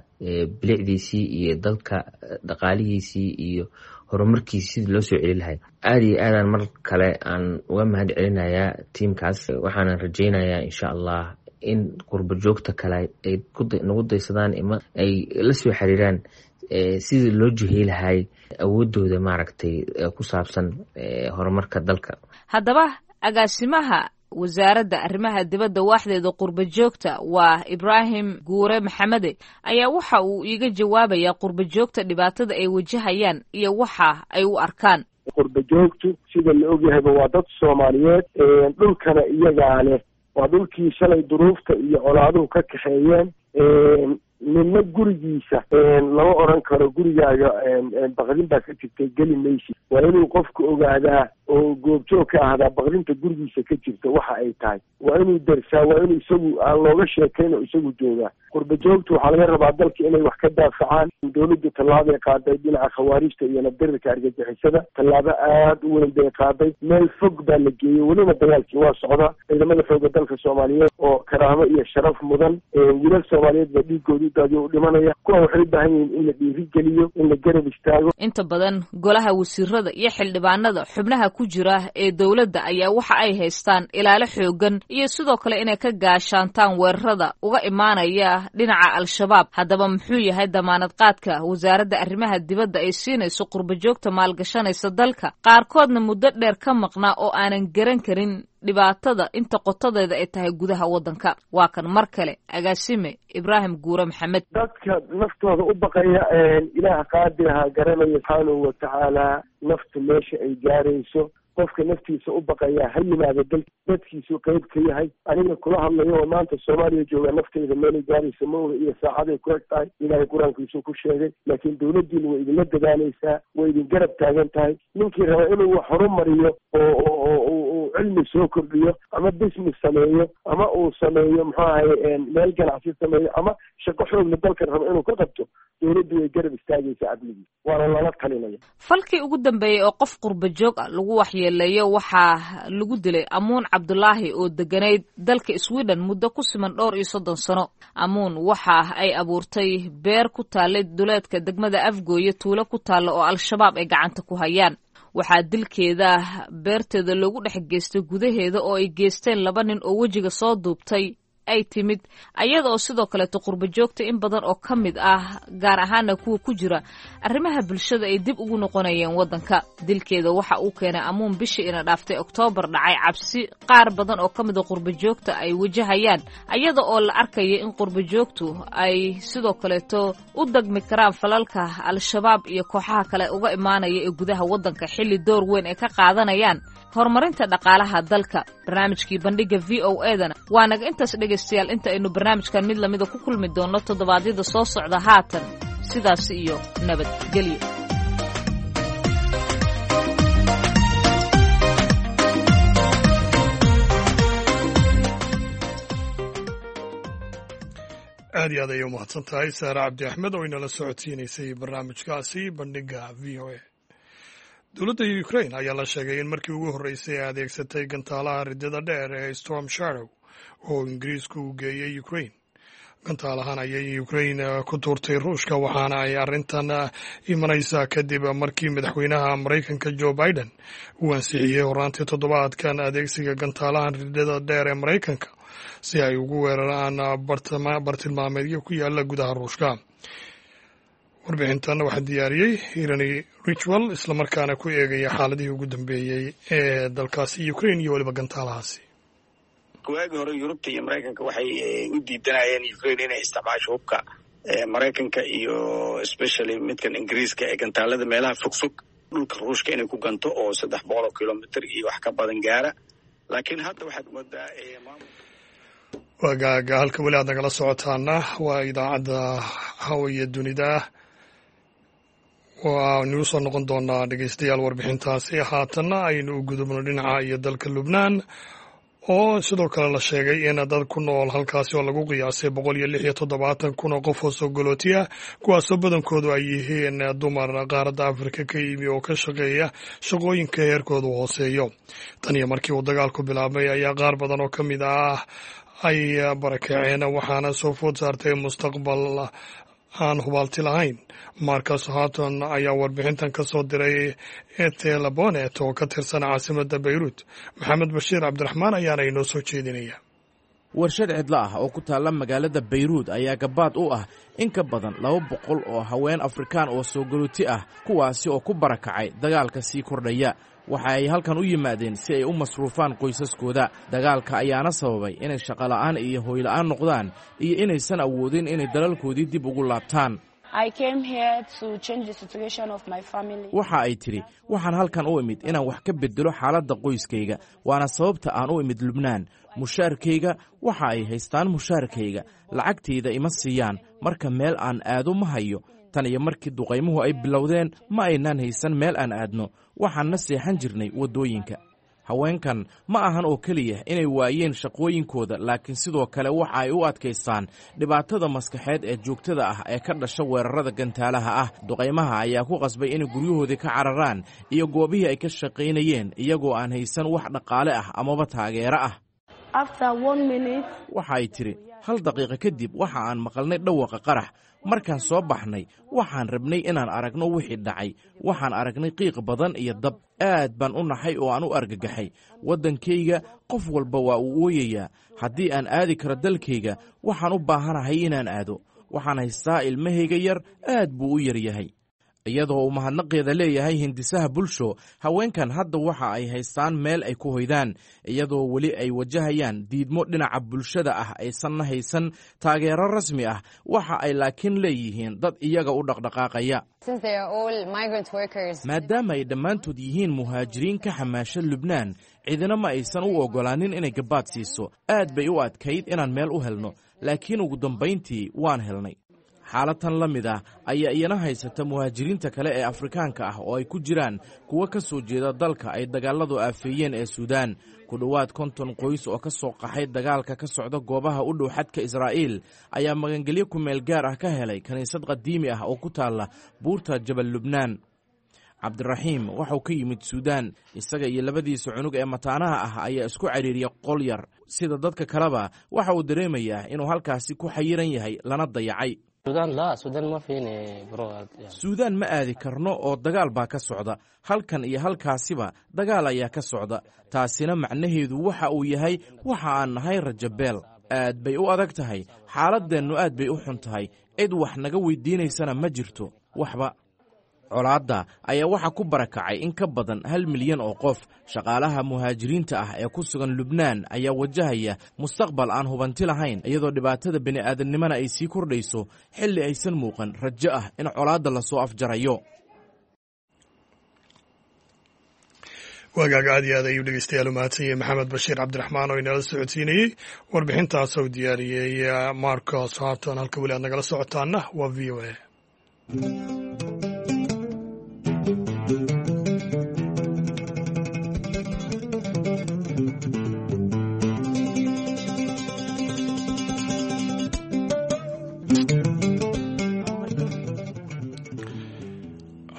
bilicdiisii iyo dalka dhaqaalihiisii iyo horumarkiisi sidii loo soo celin lahay. Aada iyo aadaan mar kale aan uga mahad celinayaa tiimkaas, waxaanan rajeynayaa insha Allah in qurba joogta kale ay nagu daysadaan ima ay la soo xiriiraan sidii loo jihey lahay awoodooda maaragtay ku saabsan horumarka dalka. Haddaba agaasimaha wasaaradda arrimaha dibadda waaxdeeda qurba joogta waa Ibraahim Guure Maxamede ayaa waxa uu iiga jawaabayaa qurba joogta dhibaatada ay wajahayaan iyo waxa ay u arkaan. Qurba joogtu sida la ogyahayba waa dad soomaaliyeed, dhulkana iyagaa leh, waa dhulkii shalay duruufta iyo colaaduhu ka kaxeeyeen. Midna gurigiisa lama odhan karo gurigaaga baqdin baa ka jirtay, geli maysid. Waa inuu qofku ogaadaa oo goobjoog ka ahdaa baqdinta gurigiisa ka jirta waxa ay tahay. Waa inuu darsaa, waa inuu isagu aan looga sheekayn oo isagu joogaa. Qurba joogtu waxaa laga rabaa dalka inay wax ka daafacaan. Dawladdu tallaabay qaaday dhinaca khawaarijta iyo nabdirirka argagixisada, tallaabo aada u weyn bay qaaday, meel fog baa la geeyey, welina dagaalkii waa socdaa. Ciidamada xooga dalka soomaaliyeed oo karaamo iyo sharaf mudan, wiilal soomaaliyeed baa dhiigooda u daadiyo u dhimanaya. Kuwa waxay u baahan yihiin in la dhiirigeliyo, in la garab istaago. Inta badan golaha wasiirada iyo xildhibaanada xubnaha ku jira ee dowladda ayaa waxa ay haystaan ilaalo xoogan iyo sidoo kale inay ka gaashaantaan weerarada uga imaanaya dhinaca Al-Shabaab. Haddaba muxuu yahay damaanad qaadka wasaaradda arrimaha dibadda ay siinayso qurba joogta maalgashanaysa dalka, qaarkoodna muddo dheer ka maqnaa oo aanan garan karin dhibaatada inta qotadeeda ay tahay gudaha waddanka? Waa kan mar kale agaasime Ibraahim Guure Maxamed. Dadka naftooda u baqaya, ilaah qaadiraha garanaya subxaanahu watacaala naftu meesha ay gaarayso. Qofka naftiisa u baqayaa ha yimaado dal dadkiisu qeyb ka yahay. Aniga kula hadlayo oo maanta Soomaaliya joogaa, naftayda meelay gaaraysa ma oga iyo saacaday ku eg tahay, ilaahay qur-aankiisuu ku sheegay. Laakiin dawladdiina way idinla dadaalaysaa, way idin garab taagan tahay. Ninkii raba inuu wax horumariyo oo uu cilmi soo kordhiyo ama business sameeyo ama uu sameeyo muxuu ahay meel ganacsi sameeyo ama shaqo xoogla dalkan raba inuu ka qabto, dawladdu way garab istaagaysaa cadligiisa, waana lala talinaya. Falkii ugu dambeeyey oo qof qurba joog ah lagu waxyeeleeyo waxaa lagu dilay Amuun Cabdulaahi oo deganayd dalka Sweden muddo ku siman dhowr iyo 30 sano. Amuun waxa ay abuurtay beer ku taallay duleedka degmada Afgooye, tuulo ku taalla oo Al-Shabaab ay gacanta ku hayaan. Waxaa dilkeeda beerteeda loogu dhex geystay gudaheeda oo ay geysteen laba nin oo wejiga soo duubtay ay timid, ayada oo sidoo kaleeto qurba joogta in badan oo ka mid ah, gaar ahaana kuwa ku jira arrimaha bulshada, ay dib ugu noqonayeen waddanka. Dilkeeda waxa uu keenay Amuun bishii ina dhaaftay Oktoobar dhacay cabsi qaar badan oo ka mid a qurba joogta ay wajahayaan, ayada oo la arkaya in qurba joogtu ay sidoo kaleeto u dagmi karaan falalka Al-Shabaab iyo kooxaha kale uga imaanaya ee gudaha waddanka, xilli door weyn ay ka qaadanayaan horumarinta dhaqaalaha dalka. Barnaamijkii bandhiga v o edana waa naga intaas dhegaystayaal, inta aynu barnaamijkan mid lamida ku kulmi doonno toddobaadyada soo socda, haatan sidaas iyo nabadgelyo. Aad iyo aad ayay umahadsan tahay Saare Cabdi Axmed oo inala socodsiinaysay barnaamijkaasi bandhiga v o a. Dowladda Ukraine ayaa la sheegay in markii ugu horreysay ay adeegsatay gantaalaha riddada dheer ee Storm Shadow. oo Ingiriisku u geeyey Ukrain. Gantaalahan ayay Ukrain ku tuurtay Ruushka, waxaana ay arrintan imanaysaa kadib markii madaxweynaha Maraykanka Joe Biden uu ansixiyey horaantii toddobaadkan adeegsiga gantaalahan ridada dheer ee Maraykanka si ay ugu weeraraan bartilmaameedyo ku yaala gudaha Ruushka. Warbixintan waxaa diyaariyey Irani Ritual, islamarkaana ku eegaya xaaladihii ugu dambeeyey ee dalkaasi Ukrain iyo weliba gantaalahaasi. Waagii hore Yurubta iyo Maraykanka waxay u diidanayeen Ukraine inay isticmaasho hubka Maraykanka iyo especially midkan Ingiriiska ee gantaalada meelaha fogfog dhulka Ruushka inay ku ganto oo 300 kilomitr iyo wax ka badan gaara. Laakiin hadda waxaad moodaa Waagaaga halka weli aad nagala socotaana waa idaacadda Hawaya Dunida. Waanu usoo noqon doonaa, dhegeystayaal, warbixintaasi. Haatanna aynu u gudubno dhinaca iyo dalka Lubnaan, oo sidoo kale la sheegay in dad ku nool halkaasi oo lagu qiyaasay 176,000 oo qof oo soo galootiya, kuwaasoo badankoodu ay yihiin dumar qaaradda Afrika ka yimi oo ka shaqeeya shaqooyinka heerkoodu hooseeyo. Tan iyo markii uu dagaalku bilaabmay ayaa qaar badan oo ka mid ah ay barakaceen, waxaana soo food saartay mustaqbal aan hubaalti lahayn. Marcus Hatton ayaa warbixintan ka soo diray Etelabonet oo ka tirsan caasimadda Bayruut. Maxamed Bashiir Cabdiraxmaan ayaana inoo soo jeedinaya. Warshad cidlo ah oo ku taalla magaalada Bayruud ayaa gabaad u ah in ka badan 200 oo haween Afrikaan oo soo galooti ah, kuwaasi oo ku barakacay dagaalka sii kordhaya. Waxa ay halkan u yimaadeen si ay u masruufaan qoysaskooda. Dagaalka ayaana sababay inay shaqola'aan iyo hoyla'aan noqdaan iyo inaysan awoodin inay dalalkoodii dib ugu laabtaan. Waxa ay tidhi: "Waxaan halkan u imid inaan wax ka beddelo xaaladda qoyskayga, waana sababta aan u imid Lubnaan. Mushaarkayga waxa ay haystaan, mushaarkayga lacagtayda ima siiyaan, marka meel aan aado ma hayo. Tan iyo markii duqaymuhu ay bilowdeen ma aynaan haysan meel aan aadno, waxaanna seexan jirnay waddooyinka." Haweenkan ma ahan oo keliya inay waayeen shaqooyinkooda, laakiin sidoo kale waxa ay u adkaystaan dhibaatada maskaxeed ee joogtada ah ee ka dhasha weerarada gantaalaha ah. Duqaymaha ayaa ku qasbay inay guryahoodii ka cararaan iyo goobihii ay ka shaqaynayeen, iyagoo aan haysan wax dhaqaale ah amaba taageero ah. Waxa ay tidhi: "Hal daqiiqo kadib waxa aan maqalnay dhawaqa qarax. Markaan soo baxnay waxaan rabnay inaan aragno wixii dhacay. Waxaan aragnay qiiq badan iyo dab. Aad baan u naxay oo aan u argagaxay. Waddankayga qof walba waa uu ooyayaa. Haddii aan aadi karo dalkayga, waxaan u baahanahay inaan aado. Waxaan haystaa ilmahayga yar, aad buu u yar yahay." Iyadoo uu mahadnaqeeda leeyahay hindisaha bulsho, haweenkan hadda waxa ay haystaan meel ay ku hoydaan, iyadoo weli ay wajahayaan diidmo dhinaca bulshada ah, aysanna haysan taageero rasmi ah. Waxa ay laakiin leeyihiin dad iyaga u dhaqdhaqaaqaya. Maadaama ay dhammaantood yihiin muhaajiriin ka xamaasha Lubnaan, cidina ma aysan u oggolaanin inay gabaad siiso. Aad bay u adkayd inaan meel u helno, laakiin ugu dambayntii waan helnay. Xaalad tan la mid ah ayaa iyana haysata muhaajiriinta kale ee Afrikaanka ah, oo ay ku jiraan kuwo ka soo jeeda dalka ay dagaaladu aafeeyeen ee Suudaan. Ku dhowaad 50 qoys oo ka soo qaxay dagaalka ka socda goobaha u dhow xadka Israa'iil ayaa magangelyo ku meel gaar ah ka helay kiniisad qadiimi ah oo ku taalla buurta Jabal Lubnaan. Cabdiraxiim waxau ka yimid Suudaan. Isaga iyo labadiisa cunug ee mataanaha ah ayaa isku cariiriya qol yar. Sida dadka kaleba waxa uu dareemayaa inuu halkaasi ku xayiran yahay lana dayacay. "Suudaan ma aadi karno oo dagaal baa ka socda. Halkan iyo halkaasiba dagaal ayaa ka socda. Taasina macnaheedu waxa uu yahay waxa aan nahay rajabeel. Aad bay u adag tahay xaaladdeennu, aad bay u xun tahay. Cid wax naga weydiinaysana ma jirto waxba." Colaadda ayaa waxaa ku barakacay in ka badan 1 milyan oo qof. Shaqaalaha muhaajiriinta ah ee ku sugan Lubnaan ayaa wajahaya mustaqbal aan hubanti lahayn, iyadoo dhibaatada bini'aadamnimana ay sii kordhayso xilli aysan muuqan rajo ah in colaadda lasoo afjarayo. Waagaaga, aad iyo aad ayuu dhegeystayaal u mahadsanyay Maxamed Bashiir Cabdiraxmaan oo inala socodsiinayey warbixintaas oo diyaariyey Marcos Harton. Halka weli aad nagala socotaana waa VOA.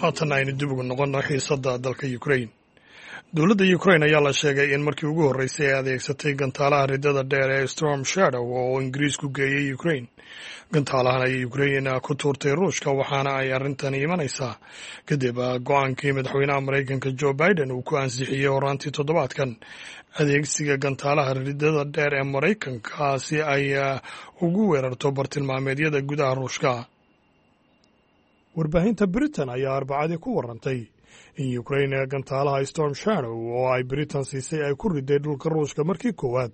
Haatan aynu dib ugu noqonno xiisadda dalka Ukrain. Dowladda Ukrain ayaa la sheegay in markii ugu horreysay ay adeegsatay gantaalaha riddada dheer ee Storm Shadow oo Ingiriisku geeyey Ukrain. Gantaalahan ayay Ukrain ku tuurtay Ruushka, waxaana ay arrintani imanaysaa kadib go-aankii madaxweynaha Maraykanka Joe Biden uu ku ansixiyey horaantii toddobaadkan adeegsiga gantaalaha riddada dheer ee Maraykanka si ay ugu weerarto bartilmaameedyada gudaha Ruushka. Warbaahinta Britain ayaa Arbacadii ku warantay in Ukrain gantaalaha Storm Shadow oo ay Britain siisay ay ku riday dhulka Ruushka markii koowaad.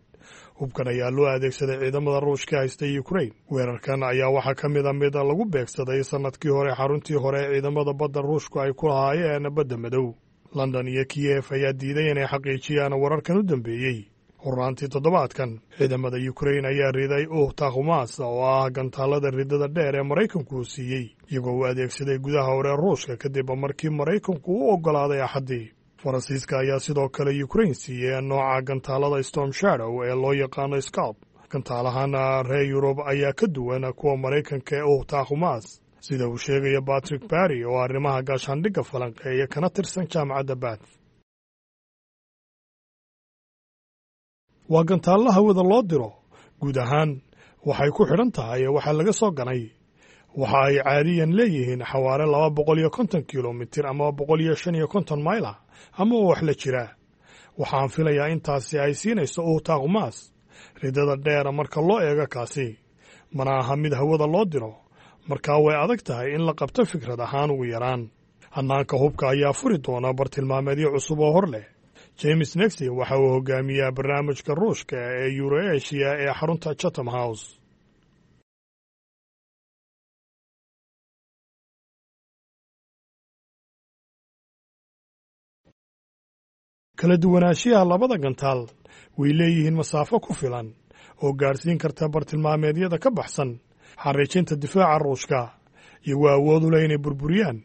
Hubkan ayaa loo adeegsaday ciidamada Ruushka haystay Ukrain. Weerarkan ayaa waxaa ka mid a mid lagu beegsaday sannadkii hore xaruntii hore ee ciidamada badda Ruushku ay ku lahaayeen Badda Madow. London iyo Kiyef ayaa diiday inay xaqiijiyaan wararkan u dambeeyey. Horaantii toddobaadkan, ciidamada Ukrain ayaa riday Uhtakhumas oo ah gantaalada riddada dheer ee Maraykanku uu siiyey, iyagoo u adeegsaday gudaha hore Ruushka kadib markii Maraykanku u oggolaaday Axaddii. Faransiiska ayaa sidoo kale Ukrain siiyey nooca gantaalada Storm Shadow ee loo yaqaano Scalp. Gantaalahana reer Yurub ayaa ka duwan kuwa Maraykanka ee Uhtakhumas, sida uu sheegaya Patrick Barry oo arrimaha gaashaandhigga falanqeeya kana tirsan jaamacadda Bath. Waa gantaallo hawada loo diro. Guud ahaan waxay ku xidhan tahay waxaa laga soo ganay. Waxa ay caadiyan leeyihiin xawaare 250 kilomitir ama 155 mayl ah ama wax la jira. Waxaan filayaa intaasi ay siinayso Uhtakhumas riddada dheer marka loo eego kaasi. Mana aha mid hawada loo diro, markaa way adag tahay in la qabto fikrad ahaan ugu yaraan. Hannaanka hubka ayaa furi doona bartilmaameedyo cusub oo hor leh. James Nexy waxa uu hogaamiyaa barnaamijka Ruushka ee Euroasia ee xarunta Chatham House. Kala duwanaanshiyaha labada gantaal way leeyihiin masaafo ku filan oo gaadhsiin karta bartilmaameedyada ka baxsan xariijinta difaaca Ruushka, iyagoo awood u leh inay burburiyaan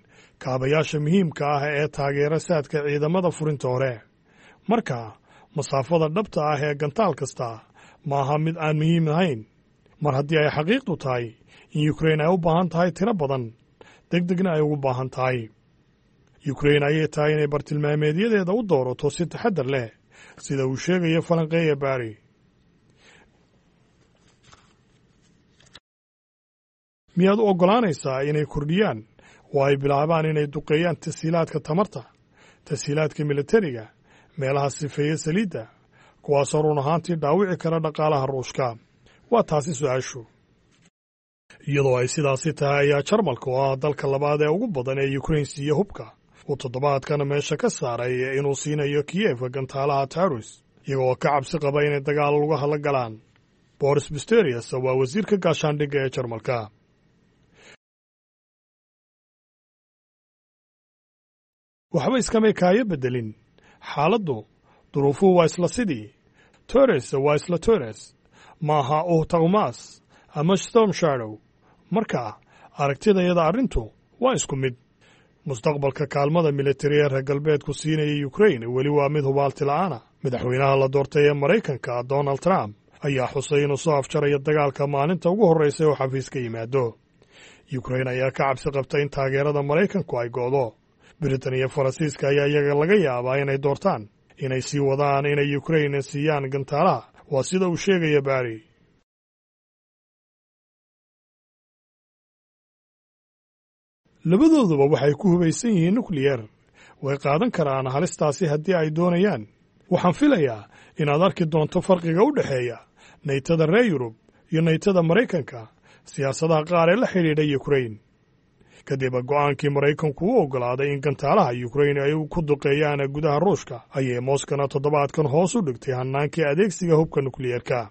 kaabayaasha muhiimka ah ee taageera saadka ciidamada furinta hore. Marka masaafada dhabta ah ee gantaal kasta maaha mid aan muhiim ahayn, mar haddii ay xaqiiqdu tahay in Ukrain ay u baahan tahay tiro badan, deg degna ay ugu baahan tahay. Ukrain ayay tahay inay bartilmaameedyadeeda u doorato si taxaddar leh, sida uu sheegayo falanqeeya Barry. Miyaad u oggolaanaysaa inay kordhiyaan oo ay bilaabaan inay duqeeyaan tashiilaadka tamarta, tashiilaadka militariga, meelaha sifeeya saliidda, kuwaasoo run ahaantii dhaawici kara dhaqaalaha Ruushka? Waa taasi su-aashu. Iyadoo ay sidaasi tahay ayaa Jarmalka, oo ah dalka labaad ee ugu badan ee Ukrain siiya hubka, uu toddobaadkan meesha ka saaray inuu siinayo Kiyef gantaalaha Taurus, iyagoo ka cabsi qaba inay dagaal lugaha la galaan. Boris Pistorius waa wasiirka gaashaandhigga ee Jarmalka. Waxba iskamay kaayo beddelin xaaladdu, duruufuhu waa isla sidii. Tores waa isla Tores, maaha Uhtakhumas ama Storm Shadow. Marka aragtidayada arrintu waa isku mid. Mustaqbalka kaalmada militari ee reer galbeedku siinaya Ukrain weli waa mid hubaalti la'aana. Madaxweynaha la doortay ee Maraykanka Donald Trump ayaa xusay inuu soo afjarayo dagaalka maalinta ugu horreysa oo xafiis ka yimaado. Ukrain ayaa ka cabsi qabta in taageerada Maraykanku ay go'do. Britain iyo Faransiiska ayaa iyaga laga yaabaa inay doortaan inay sii wadaan inay Ukrain siiyaan gantaalaha, waa sida uu sheegaya Barry. Labadooduba waxay ku hubaysan yihiin nukliyer. Way qaadan karaan halistaasi haddii ay doonayaan. Waxaan filayaa inaad arki doonto farqiga u dhexeeya naytada reer Yurub iyo naytada Maraykanka siyaasadaha qaar ee la xidhiidha Ukrain. Kadib go'aankii Maraykanku u oggolaaday in gantaalaha Ukrain ay ku duqeeyaan gudaha Ruushka, ayay Moskana toddobaadkan hoos u dhigtay hannaankii adeegsiga hubka nukliyeerka.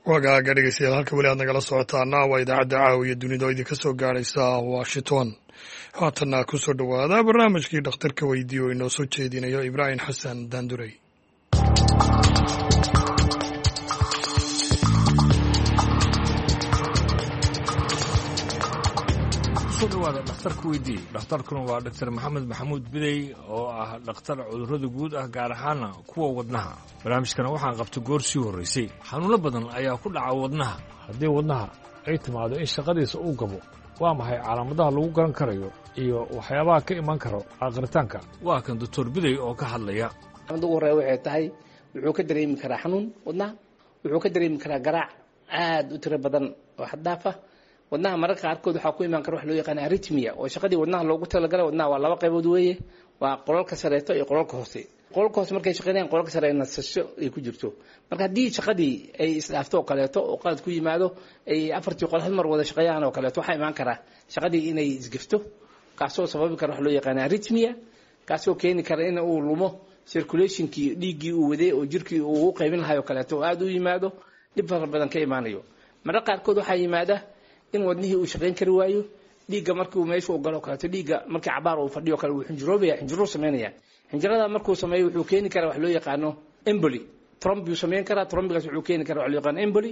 Wagaaga dhegeystayaal, halka weli aad nagala socotaana waa idaacadda Caawiya Dunida oo idinka soo gaaraysa Washington. Haatanna ku soo dhowaada barnaamijkii Dhakhtarka Weydiiyo oo inoo soo jeedinayo Ibraahim Xasan Daandurey. Kusoo dhawaada Dhakhtarka Weydii. Dhakhtarkuna waa Dhaktar Maxamed Maxamuud Bidey oo ah dhakhtar cudurrada guud ah, gaar ahaana kuwa wadnaha. Barnaamijkana waxaan qabtay goor sii horraysay. Xanuunno badan ayaa ku dhaca wadnaha. Haddii wadnaha ay timaado in shaqadiisa uu gabo, waa maxay calaamadaha lagu garan karayo Iyo waxyaabaha ka iman karo aqritaanka. Waa kan Doctor Bidey oo ka hadlaya. Mid ugu horreya waxay tahay, wuxuu ka dareemi karaa xanuun wadnaha, wuxuu ka dareemi karaa garaac aada u tiro badan oo xad-dhaaf ah wadnaha. Mararka qaarkood waxaa ku imaan kara wax loo yaqaana arrhythmia, oo shaqadii wadnaha loogu talagalay. Wadnaha waa laba qaybood weeye, waa qolalka sareeto iyo qolalka hoose. Qolalka hoose markay shaqeynayaan, qolalka sare nasasho ay ku jirto. Marka haddii shaqadii ay isdhaafto oo kaleeto, oo qalad ku yimaado, ay afartii qol hal mar wada shaqeeyaan oo kaleeto, waxaa imaan karaa shaqadii inay isgafto, kaasoo sababi kara wax loo yaqaana arrhythmia, kaasoo keeni kara in uu lumo circulationkii dhiiggii uu waday oo jirkii uu u qaybin lahay oo kaleeto, oo aada u yimaado dhib fara badan ka imaanayo. Mararka qaarkood waxaa yimaada in wadnihii uu shaqayn kari waayo. Dhiigga markuu meesha uu galo o kaleeto, dhiigga markii cabaar uu fadhiyo kale, wuu xinjiroobaya, xinjiruu sameynaya. Xinjirada markuu sameeyo wuxuu keeni karaa wax loo yaqaano emboli, thrombi uu sameyn karaa. Thrombigaas wuxuu keeni karaa wax loo yaqaano emboli.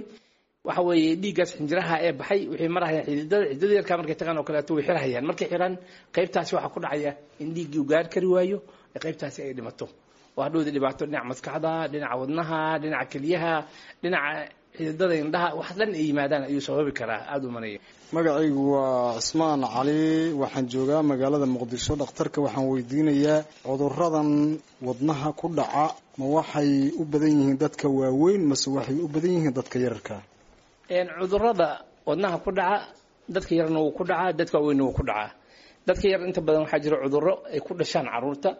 Waxa weeye dhiiggaas xinjiraha ee baxay waxay marahayaan xididada. Xididada yarkaa markay tagaan oo kaleeto way xirahayaan. Markay xiraan qaybtaasi, waxaa ku dhacaya in dhiiggii uu gaari kari waayo, qaybtaasi ay dhimato, oo hadhowda dhibaato dhinaca maskaxda, dhinaca wadnaha, dhinaca keliyaha, dhinaca xididada indhaha, wax dhan ay yimaadaan ayuu sababi karaa aada u manaya. Magacaygu waa Cismaan Cali, waxaan joogaa magaalada Muqdisho. Dhakhtarka waxaan weydiinayaa, cuduradan wadnaha ku dhaca ma waxay u badan yihiin dadka waaweyn mase waxay u badan yihiin dadka yararka? Cudurada wadnaha ku dhaca dadka yarna wuu ku dhacaa, dadka waaweynna wuu ku dhacaa. Dadka yar inta badan waxaa jira cudurro ay ku dhashaan caruurta.